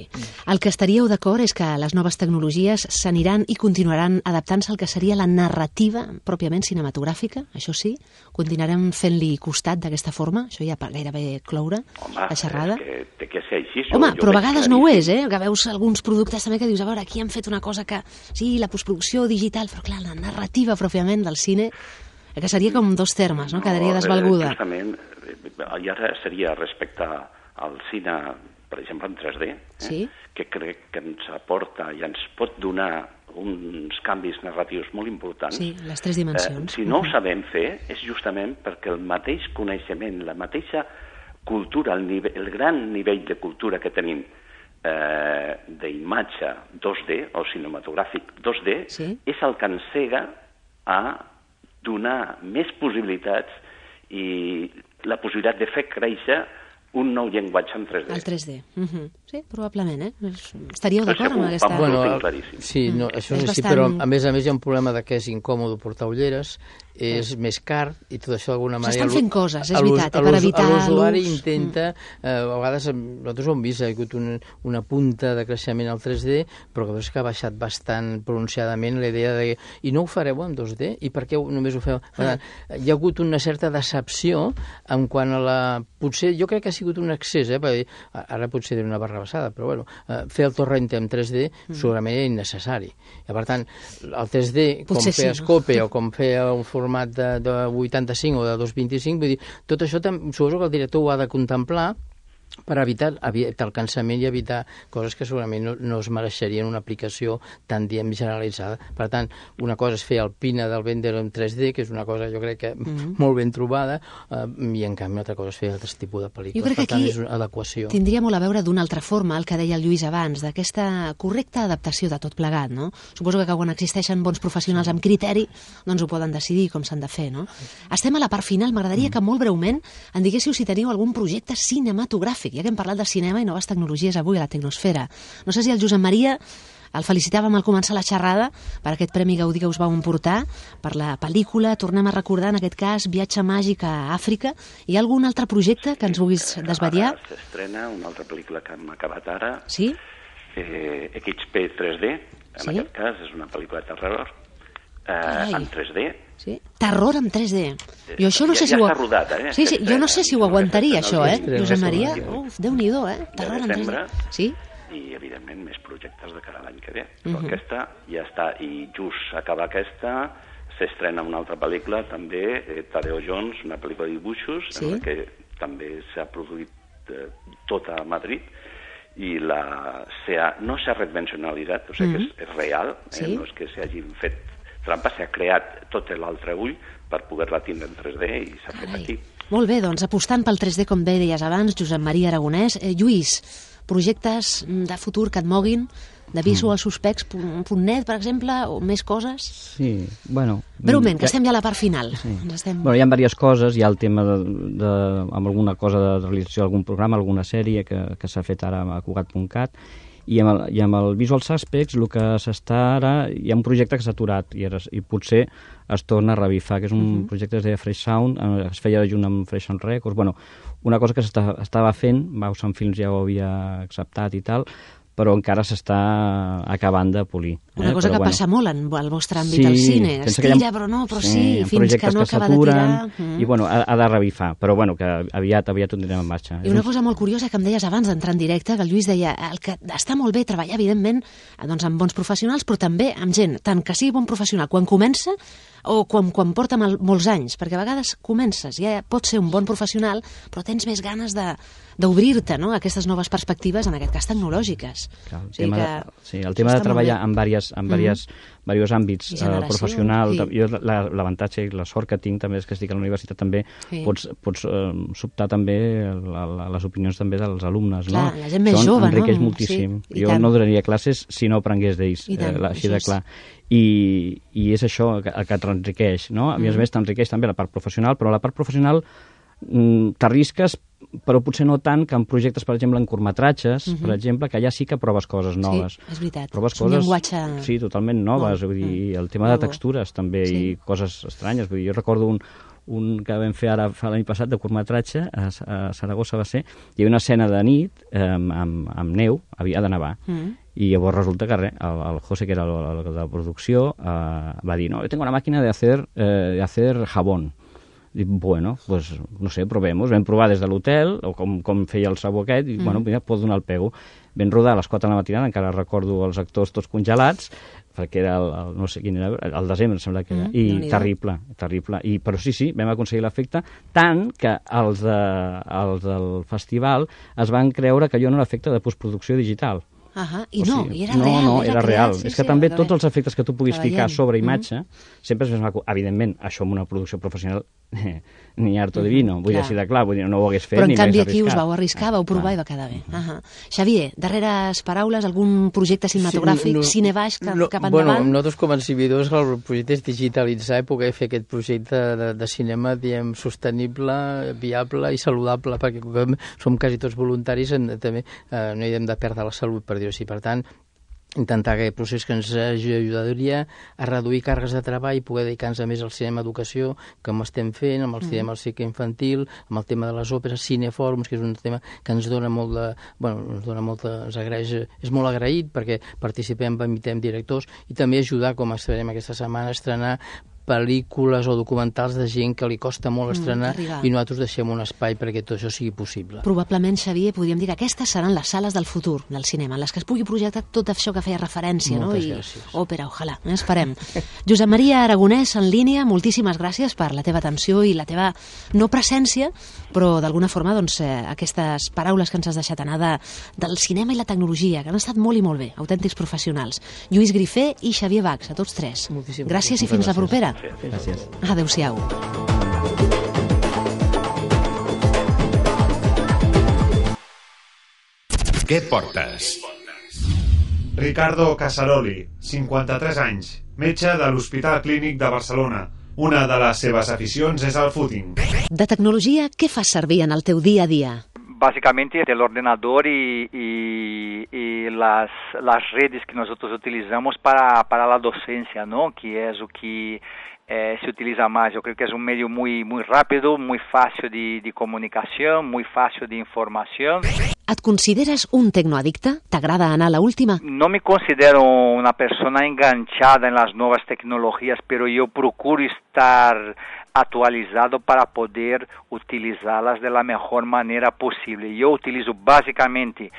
El que estaríeu d'acord és que les noves tecnologies s'aniran i continuaran adaptant-se al que seria la narrativa pròpiament cinematogràfica, això sí? Continuarem fent-li costat d'aquesta forma? Això ja per gairebé cloure la xerrada? Home, és que té que ser així. Home, però a vegades no ho és, que veus alguns productes també que dius, a veure, aquí han fet una cosa que... Sí, la postproducció digital, però clar, la narrativa pròpiament del cine, que seria com dos termes, no? Quedaria desvalguda. Justament, i ara seria respecte al cine, per exemple, en 3D, que crec que ens aporta i ens pot donar uns canvis narratius molt importants. Sí, les 3 dimensions. Si no ho sabem fer, és justament perquè el mateix coneixement, la mateixa cultura, el gran nivell de cultura que tenim d'imatge 2D o cinematogràfic 2D és el que ens cega a donar més possibilitats i la possibilitat de fer créixer un nou llenguatge en 3D. El 3D. Sí, probablement, Estaríeu d'acord amb aquesta... Sí, això és així, però a més hi ha un problema que és incòmode portar ulleres, és més car i tot això d'alguna manera... S'estan fent coses, és veritat, per evitar l'ús. L'usuari intenta, a vegades nosaltres ho hem vist, ha hagut una punta de creixement al 3D, però que ha baixat bastant pronunciadament la idea de... I no ho fareu en 2D? I per què només ho feu? Hi ha hagut una certa decepció en quant a la... Potser, jo crec que ha sigut un excés, ara potser diré una barrabassada, però bueno, fer el torrent en 3D segurament era innecessari. I per tant, el 3D, com fer Scope o com fer un format de 85 o de 225, vull dir, tot això suposo que el director ho ha de contemplar per evitar el cansament i evitar coses que segurament no es mereixerien una aplicació tan, diguem, generalitzada. Per tant, una cosa és fer el Pina del Bender en 3D, que és una cosa, jo crec que molt ben trobada, i en canvi una altra cosa és fer altres tipus de pel·lícules. Jo crec que aquí és una adequació. Tindria molt a veure d'una altra forma, el que deia el Lluís abans, d'aquesta correcta adaptació de tot plegat, no? Suposo que quan existeixen bons professionals amb criteri, doncs ho poden decidir com s'han de fer, no? Estem a la part final, m'agradaria que molt breument en diguéssiu si teniu algun projecte cinematogràfic, ja que hem parlat de cinema i noves tecnologies avui a la Tecnosfera. No sé si el Josep Maria el felicitàvem al començar la xerrada per aquest Premi Gaudí que us vau emportar, per la pel·lícula, tornem a recordar en aquest cas Viatge màgic a Àfrica. Hi ha algun altre projecte que ens vulguis desvetllar? S'estrena una altra pel·lícula que hem acabat ara, sí? XP 3D, en aquest cas és una pel·lícula de terror en 3D. Sí? Terror en 3D. Jo això no sé si ho... Ja està rodat, Sí, jo no sé si ho aguantaria, això, Josep Maria? Déu-n'hi-do, Terror en 3D. Sí? I, evidentment, més projectes de cara a l'any que ve. Però aquesta ja està. I just acaba aquesta, s'estrena una altra pel·lícula, també, Tadeo Jones, una pel·lícula de dibuixos, en la que també s'ha produït tota a Madrid, i no s'ha redimensionalitzat, o sigui que és real, no és que s'hagin fet trampa, s'ha creat tot l'altre ull per poder-la tindre en 3D i s'ha fet aquí. Molt bé, doncs apostant pel 3D, com bé deies abans, Josep Maria Aragonès. Lluís, projectes de futur que et moguin, de visualsuspects.net, per exemple, o més coses? Sí, bueno... Breument, que estem ja a la part final. Sí. Bueno, hi ha diverses coses, hi ha el tema amb alguna cosa de realització d'algun programa, alguna sèrie que s'ha fet ara a Cugat.cat, i amb el Visual Suspects el que s'està ara, hi ha un projecte que s'ha aturat i potser es torna a revifar, que és un projecte que es deia Fresh Sound, es feia junt amb Fresh Sound Records, bueno, una cosa que s'estava fent, Bausan Films ja ho havia acceptat i tal, però encara s'està acabant de polir. Una cosa que passa molt al vostre àmbit al cine. Es tira, però no, però sí, fins que no acaba de tirar. I, bueno, ha de revifar, però, bueno, que aviat ho tindrem en marxa. I una cosa molt curiosa que em deies abans d'entrar en directe, que el Lluís deia que està molt bé treballar, evidentment, doncs amb bons professionals, però també amb gent, tant que sigui bon professional quan comença o quan porta molts anys, perquè a vegades comences, ja pots ser un bon professional, però tens més ganes d'obrir-te, no?, a aquestes noves perspectives, en aquest cas tecnològiques. Clar, el tema de treballar en diversos àmbits, professional, jo l'avantatge i la sort que tinc també és que estic a la universitat també, pots sobtar també les opinions també dels alumnes, no? La gent més jove, no? Això enriqueix moltíssim. Jo no donaria classes si no aprengués d'ells, així de clar. I és això el que t'enriqueix, no? A més t'enriqueix també la part professional, però la part professional t'arrisques, però potser no tant que en projectes, per exemple, en curtmetratges, per exemple, que allà sí que proves coses noves. Sí, és veritat. Proves coses, sí, totalment noves, vull dir, el tema de textures també, i coses estranyes. Vull dir, jo recordo un que vam fer ara l'any passat de curtmetratge, a Saragossa va ser, hi havia una escena de nit amb neu, havia de nevar, i llavors resulta que el José, que era el de producció, va dir, no, yo tengo una máquina de hacer jabón. Dic, bueno, pues, no sé, provemos. Vam provar des de l'hotel, o com feia el sabó aquest, i, bueno, mira, pot donar el pego. Vam rodar a les 4 de la matinada, encara recordo els actors tots congelats, perquè era no sé quin era, el desembre, em sembla que era, i terrible. Però sí, vam aconseguir l'efecte, tant que els del festival es van creure que allò no era efecte de postproducció digital. I no, i era real. No, era real. És que també tots els efectes que tu puguis ficar sobre imatge, sempre és més maco. Evidentment, això en una producció professional ni harto de vino, vull dir, així de clar, vull dir, no ho hagués fet ni més arriscat. Però en canvi aquí us vau arriscar, vau provar i va quedar bé. Xavier, darreres paraules, algun projecte cinematogràfic, cine baix, cap endavant? Bueno, nosaltres com a exhibidors el projecte és digitalitzar i poder fer aquest projecte de cinema, diguem, sostenible, viable i saludable, perquè com som quasi tots voluntaris, també no hi hem de perdre la salut, per dir-ho així. Per tant, intentar aquest procés que ens ajudaria a reduir càrregues de treball i poder dedicar-nos més al cinema educació, com estem fent, amb el cinema al cicle infantil, amb el tema de les òperes, cinefòrums, que és un tema que ens dona molt de... Bueno, ens agraeix, és molt agraït perquè participem, invitem directors i també ajudar, com estarem aquesta setmana, a estrenar pel·lícules o documentals de gent que li costa molt estrenar i nosaltres deixem un espai perquè tot això sigui possible. Probablement, Xavier, podríem dir que aquestes seran les sales del futur del cinema, en les que es pugui projectar tot això que feia referència, Moltes gràcies. Òpera, ojalà, esperem. Josep Maria Aragonès, en línia, moltíssimes gràcies per la teva atenció i la teva no presència, però d'alguna forma doncs, aquestes paraules que ens has deixat anar del cinema i la tecnologia, que han estat molt i molt bé, autèntics professionals. Lluís Grifé i Xavier Bax, a tots tres. Gràcies i fins la propera. Gràcies. Adéu-siau. Què portes? Ricardo Casaroli, 53 anys, metge de l'Hospital Clínic de Barcelona. Una de les seves aficions és el footing. De tecnologia, què fas servir en el teu dia a dia? Básicamente el ordenador y las redes que nosotros utilizamos para la docencia, ¿no? Que es lo que se utiliza más. Yo creo que es un medio muy rápido, muy fácil de comunicación, muy fácil de información. Et consideres un tecnoadicte? T'agrada anar a la última? No me considero una persona enganchada en las nuevas tecnologías, pero yo procuro estar actualizado para poder utilizarlas de la mejor manera posible. Yo utilizo básicamente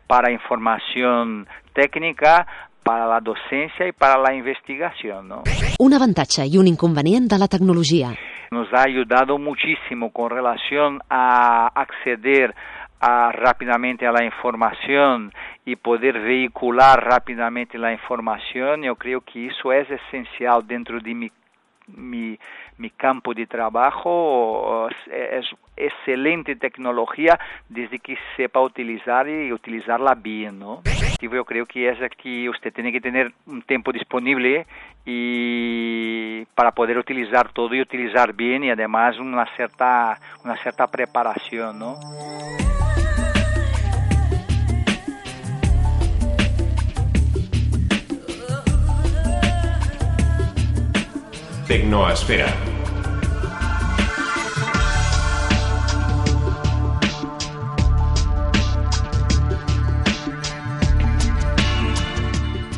para información técnica, para la docencia y para la investigación, ¿no? Un avantatge i un inconvenient de la tecnologia. Nos ha ayudado muchísimo con relación a acceder rápidamente a la información y poder vehicular rápidamente la información. Yo creo que eso es esencial dentro de mi mi campo de trabajo, es excelente tecnología desde que sepa utilizar y utilizarla bien, ¿no? Yo creo que es que usted tiene que tener un tiempo disponible y para poder utilizar todo y utilizar bien, y además una cierta preparación, ¿no? Tecnoesfera.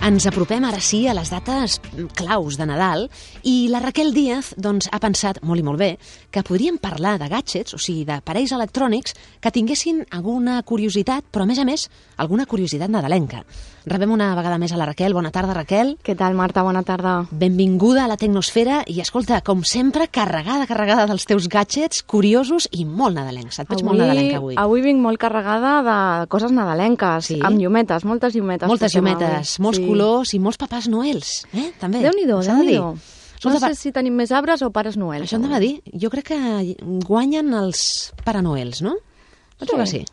Ens apropem ara sí a les dates claus de Nadal i la Raquel Díaz doncs, ha pensat molt i molt bé que podríem parlar de gadgets, o sigui, d'aparells electrònics que tinguessin alguna curiositat, però a més, alguna curiositat nadalenca. Rebem una vegada més a la Raquel. Bona tarda, Raquel. Què tal, Marta? Bona tarda. Benvinguda a la Tecnosfera i, escolta, com sempre, carregada dels teus gadgets curiosos i molt nadalencs. Et veig molt nadalenca avui. Avui vinc molt carregada de coses nadalenques, sí? Amb llumetes, moltes llumetes. Moltes llumetes, molts colors i molts papàs noels, també. Déu-n'hi-do, Déu-n'hi-do. No sé si tenim més arbres o pares noels. Això anava a dir. Jo crec que guanyen els Pare Noels, no? Penso que sí.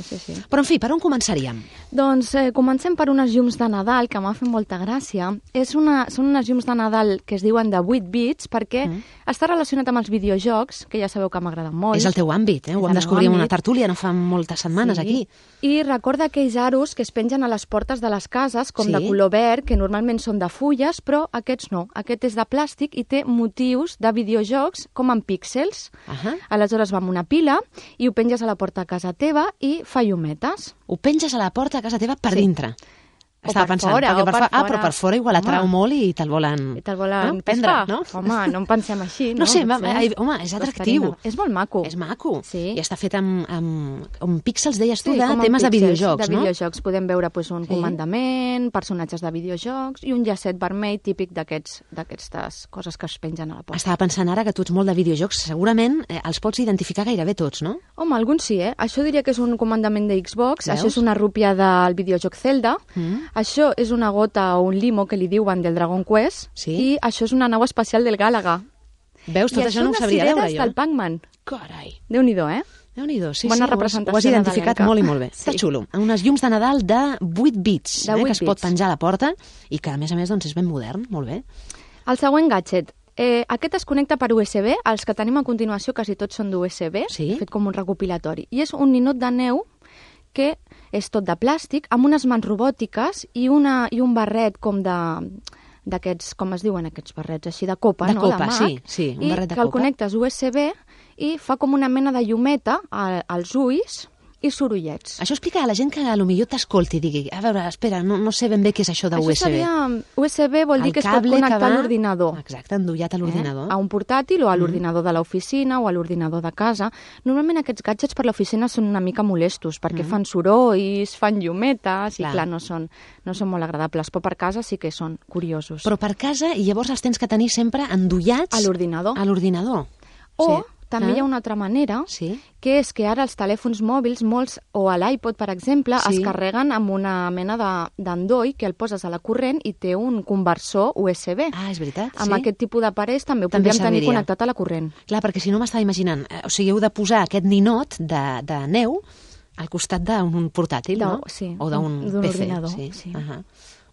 Sí. Però, en fi, per on començaríem? Doncs comencem per unes llums de Nadal, que m'ha fet molta gràcia. Són unes llums de Nadal que es diuen de 8 bits, perquè està relacionat amb els videojocs, que ja sabeu que m'agraden molt. És el teu àmbit, Ho vam descobrir en una tertúlia no fa moltes setmanes aquí. I recorda aquells aros que es pengen a les portes de les cases, com de color verd, que normalment són de fulles, però aquests no. Aquest és de plàstic i té motius de videojocs com en píxels. Aleshores va amb una pila i ho penges a la porta a casa teva i fa llumetes. Ho penges a la porta a casa teva per dintre. Estava pensant, fora, però per fora igual atrau molt i te'l volen prendre, no? Home, no en pensem així, no? No sé, home, és atractiu. És molt maco. És maco. I està fet amb píxels, deies tu, de temes de videojocs, no? De videojocs. Podem veure un comandament, personatges de videojocs i un llacet vermell típic d'aquestes coses que es pengen a la porta. Estava pensant ara que tu ets molt de videojocs. Segurament els pots identificar gairebé tots, no? Home, alguns sí, Això diria que és un comandament de Xbox, això és una rúpia del videojoc Zelda, això és una gota o un limo que li diuen del Dragon Quest, i això és una nau espacial del Gàlaga. Veus, tot això no ho sabria veure jo. I això unes cireres del Pac-Man. Carai. Déu-n'hi-do, Déu-n'hi-do, sí, bona representació ho has identificat nadalenca. molt i molt bé. Està xulo. Unes llums de Nadal de 8 bits, que es pot penjar a la porta i que, a més, doncs, és ben modern, molt bé. El següent gadget. Aquest es connecta per USB, els que tenim a continuació quasi tots són d'USB, fet com un recopilatori. I és un ninot de neu que és tot de plàstic, amb unes mans robòtiques i un barret com d'aquests, com es diuen aquests barrets, així de copa, de no? Copa, sí, un barret de copa. I que el connectes USB i fa com una mena de llumeta als ulls i sorollets. Això explica a la gent que potser t'escolti i digui, a veure, espera, no sé ben bé què és això de USB. Això seria... USB vol dir que es pot connectar a l'ordinador. Exacte, endollat a l'ordinador. A un portàtil o a l'ordinador de l'oficina o a l'ordinador de casa. Normalment aquests gadgets per l'oficina són una mica molestos perquè fan sorolls, fan llumetes i clar, no són molt agradables, però per casa sí que són curiosos. Però per casa i llavors els tens que tenir sempre endollats a l'ordinador. A l'ordinador. O també hi ha una altra manera, que és que ara els telèfons mòbils, molts, o a l'iPod, per exemple, es carreguen amb una mena d'endoll que el poses a la corrent i té un conversor USB. Ah, és veritat, Amb aquest tipus d'aparells també ho podríem tenir connectat a la corrent. Clar, perquè si no m'estava imaginant, o sigui, heu de posar aquest ninot de neu al costat d'un portàtil, no? Sí, o d'un PC. ordinador. Sí.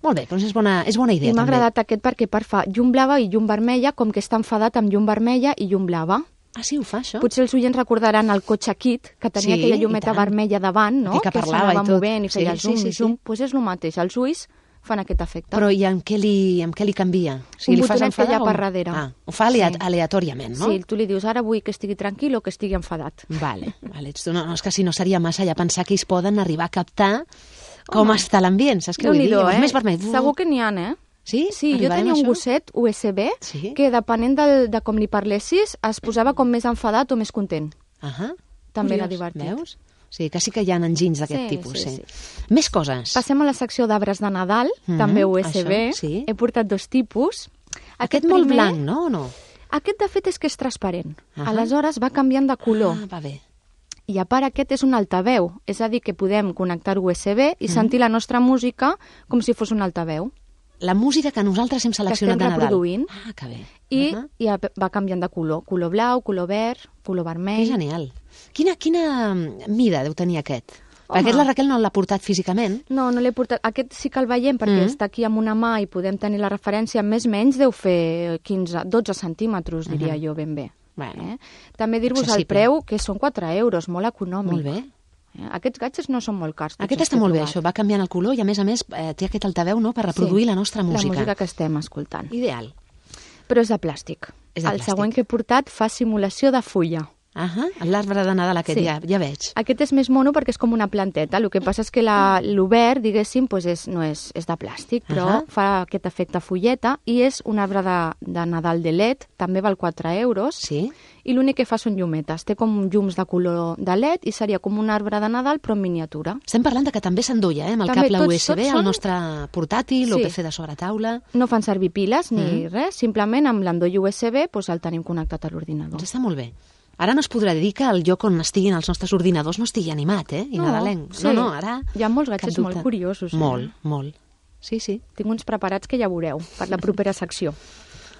Molt bé, doncs és bona idea. I m'ha agradat aquest perquè fa llum blava i llum vermella, com que està enfadat amb llum vermella i llum blava. Ah, sí, ho fa, això? Potser els oients recordaran el cotxe Kit, que tenia aquella llumeta vermella davant, no? Que parlava i tot. Movent i feia zoom. Doncs és el mateix, els ulls fan aquest efecte. Però i amb què li canvia? Un botonet que hi ha per darrere. Ho fa aleatòriament, no? Sí, tu li dius, ara vull que estigui tranquil o que estigui enfadat. Vale. No, és que si no seria massa ja pensar que ells poden arribar a captar com està l'ambient, saps què vull dir? Més vermell. Segur que n'hi ha, Sí? Sí, jo tenia un gosset USB que depenent de com li parlessis es posava com més enfadat o més content. També era divertit. Veus? Sí, que sí que hi ha enginys d'aquest tipus. Sí. Més coses. Passem a la secció d'arbres de Nadal, també USB. He portat 2 tipus. Aquest molt blanc, no? Aquest, de fet, és que és transparent. Aleshores va canviant de color. Va bé. I a part aquest és un altaveu, és a dir, que podem connectar USB i sentir la nostra música com si fos un altaveu. la música que nosaltres hem seleccionat de Nadal. Que estem reproduint. Ah, que bé. I va canviant de color. Color blau, color verd, color vermell. Que genial. Quina mida deu tenir aquest? Perquè aquest la Raquel no l'ha portat físicament. No l'he portat. Aquest sí que el veiem perquè està aquí amb una mà i podem tenir la referència. Més o menys deu fer 12 centímetres, diria jo, ben bé. Bueno, també dir-vos el preu, que són 4 euros, molt econòmic. Molt bé. Aquests gadgets no són molt cars. Aquest està molt bé, això, va canviant el color i a més té aquest altaveu per reproduir la nostra música. La música que estem escoltant. Ideal. Però és de plàstic. El següent que he portat fa simulació de fulla. L'arbre de Nadal aquest, ja veig. Aquest és més mono perquè és com una planteta. El que passa és que l'obert, diguéssim, és de plàstic, però fa aquest efecte fulleta i és un arbre de Nadal de LED, també val 4 euros, i l'únic que fa són llumetes. Té com llums de color de LED i seria com un arbre de Nadal, però en miniatura. Estem parlant que també s'enduia, amb el cable USB, el nostre portàtil, o PC de sobretaula. No fan servir piles ni res, simplement amb l'endoll USB el tenim connectat a l'ordinador. Doncs està molt bé. Ara no es podrà dir que el lloc on estiguin els nostres ordinadors no estigui animat, i nadalenc. No, ara... Hi ha molts gadgets molt curiosos. Molt. Sí. Tinc uns preparats que ja veureu per la propera secció.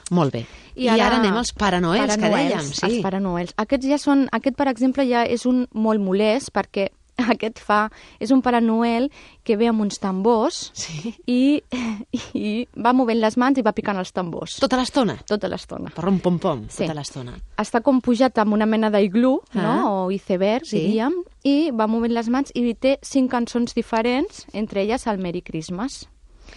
Molt bé. I ara anem als Pare Noels, que dèiem. Els Pare Noels. Aquest, per exemple, ja és un molt molest perquè és un Pare Noel que ve amb uns tambors i va movent les mans i va picant els tambors. Tota l'estona? Tota l'estona. Pom-pom, tota l'estona. Està com pujat amb una mena d'iglú, o iceberg, diríem, i va movent les mans i té 5 cançons diferents, entre elles el Merry Christmas.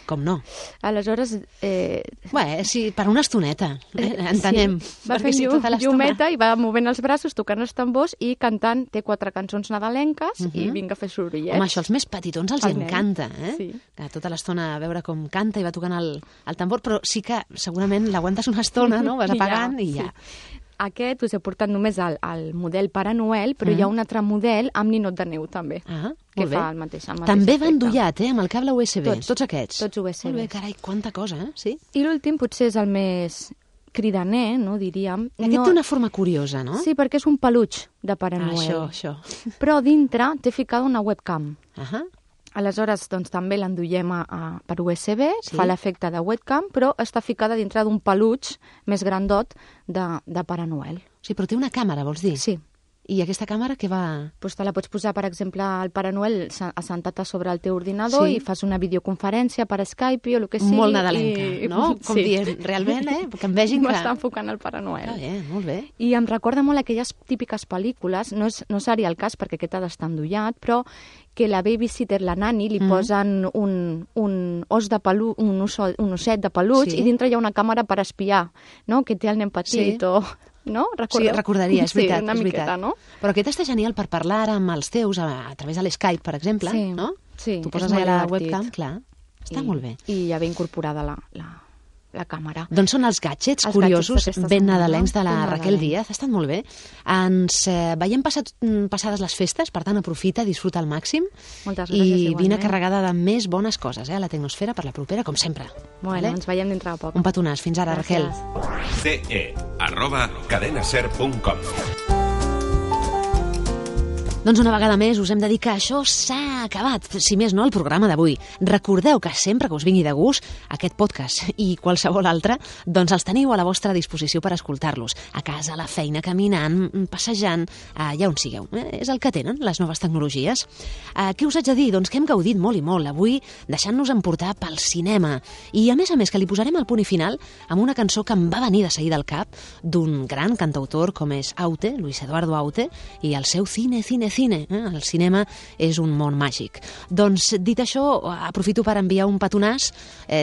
Com no? Aleshores... per una estoneta, entenem. Va fent llumeta i va movent els braços, tocant els tambors i cantant. Té 4 cançons nadalenques i vinga a fer sorollets. Home, això als més petitons els encanta, que tota l'estona a veure com canta i va tocant el tambor, però sí que segurament l'aguantes una estona, no? Vas apagant i ja... Aquest us he portat només el model Pare Noel, però hi ha un altre model amb ninot de neu, també, que fa el mateix també va endollat, amb el cable USB, tots aquests. Tots USB. Molt bé, carai, quanta cosa, sí? I l'últim potser és el més cridaner, no, diríem. Aquest té una forma curiosa, no? Sí, perquè és un peluix de Pare Noel. Això. Però dintre té ficada una webcam. Aleshores, doncs, també l'enduiem per USB, fa l'efecte de webcam, però està ficada dintre d'un peluix més grandot de Pare Noel. Sí, però té una càmera, vols dir? Sí. I aquesta càmera què va...? Doncs te la pots posar, per exemple, al Pare Noel assentat a sobre el teu ordinador i fas una videoconferència per Skype o el que sigui. Molt nadalenca, no? Com dient, realment, que em vegin que... M'està enfocant el Pare Noel. Molt bé. I em recorda molt aquelles típiques pel·lícules, no seria el cas perquè aquest ha d'estar endollat, però que la babysitter, la nani, li posen un osset de peluig i dintre hi ha una càmera per espiar, no? Que té el nen petit o... No? Sí, recordaria, és veritat. Una miqueta, no? Però aquest està genial per parlar amb els teus a través de l'Skype, per exemple, no? Sí, tu poses allà la webcam, clar. Està molt bé. I ja ve incorporada la càmera. Doncs són els gadgets curiosos, ben nadalencs de la Raquel Díaz. Ha estat molt bé. Ens veiem passades les festes, per tant, aprofita, disfruta al màxim. Moltes gràcies, i vine carregada de més bones coses a la Tecnosfera per la propera, com sempre. Bueno, ens veiem dintre de poc. Un petonàs. Fins ara, Raquel. ce@cadenaser.com. Doncs una vegada més us hem de dir que això s'ha acabat, si més no el programa d'avui. Recordeu que sempre que us vingui de gust aquest podcast i qualsevol altre, doncs els teniu a la vostra disposició per escoltar-los. A casa, a la feina, caminant, passejant, allà on sigueu. És el que tenen les noves tecnologies. Què us haig de dir? Doncs que hem gaudit molt i molt avui deixant-nos emportar pel cinema. I a més que li posarem el punt i final amb una cançó que em va venir de seguida al cap d'un gran cantautor com és Aute, Luis Eduardo Aute, i el seu cine. El cinema és un món màgic. Doncs, dit això, aprofito per enviar un petonàs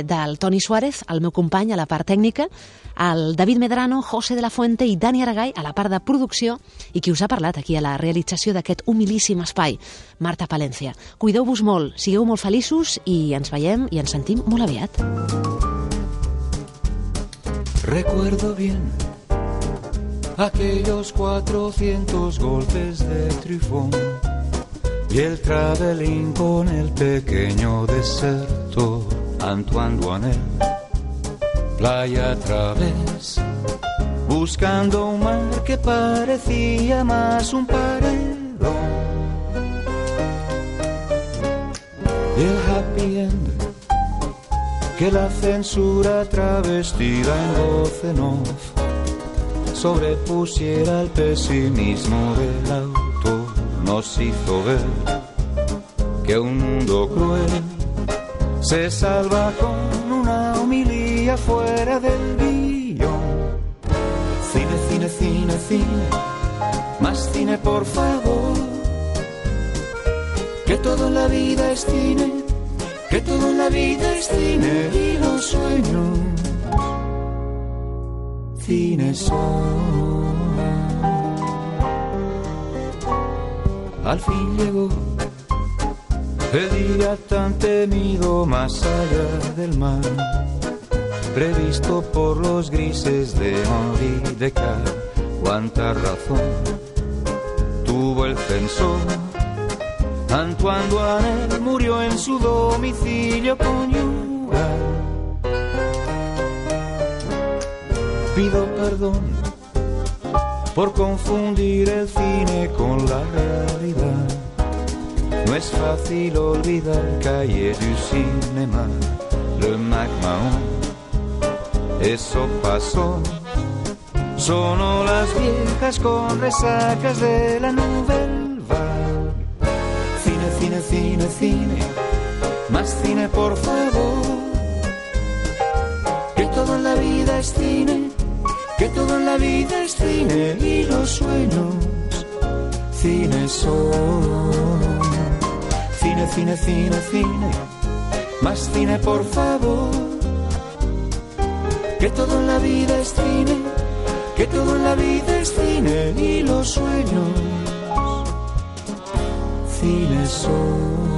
del Toni Suárez, el meu company a la part tècnica, el David Medrano, José de la Fuente i Dani Aragay a la part de producció i qui us ha parlat aquí a la realització d'aquest humilíssim espai, Marta Palencia. Cuideu-vos molt, sigueu molt feliços i ens veiem i ens sentim molt aviat. Recuerdo bien aquellos 400 golpes de trifón y el travelín con el pequeño deserto Antoine Duanel, playa a través, buscando un mar que parecía más un paredón. Y el happy end que la censura travestida en voz en off sobrepusiera el pesimismo del autor, nos hizo ver que un mundo cruel se salva con una homilía fuera del guión. Cine, cine, cine, cine, más cine por favor, que todo en la vida es cine, que todo en la vida es cine y los sueños cine son. Al fin llegó el día tan temido más allá del mar, previsto por los grises de Henri Descartes. Cuánta razón tuvo el censor. Antoine Duanel murió en su domicilio conyugal. Pido perdón por confundir el cine con la realidad. No es fácil olvidar Cahiers du Cinéma, le McMahon. Eso pasó. Sonó las viejas con resacas de la Nouvelle Vague. Cine, cine, cine, cine, más cine por favor. Que todo en la vida es cine, que todo en la vida es cine y los sueños cine son. Cine, cine, cine, cine, más cine por favor. Que todo en la vida es cine, que todo en la vida es cine y los sueños cine son.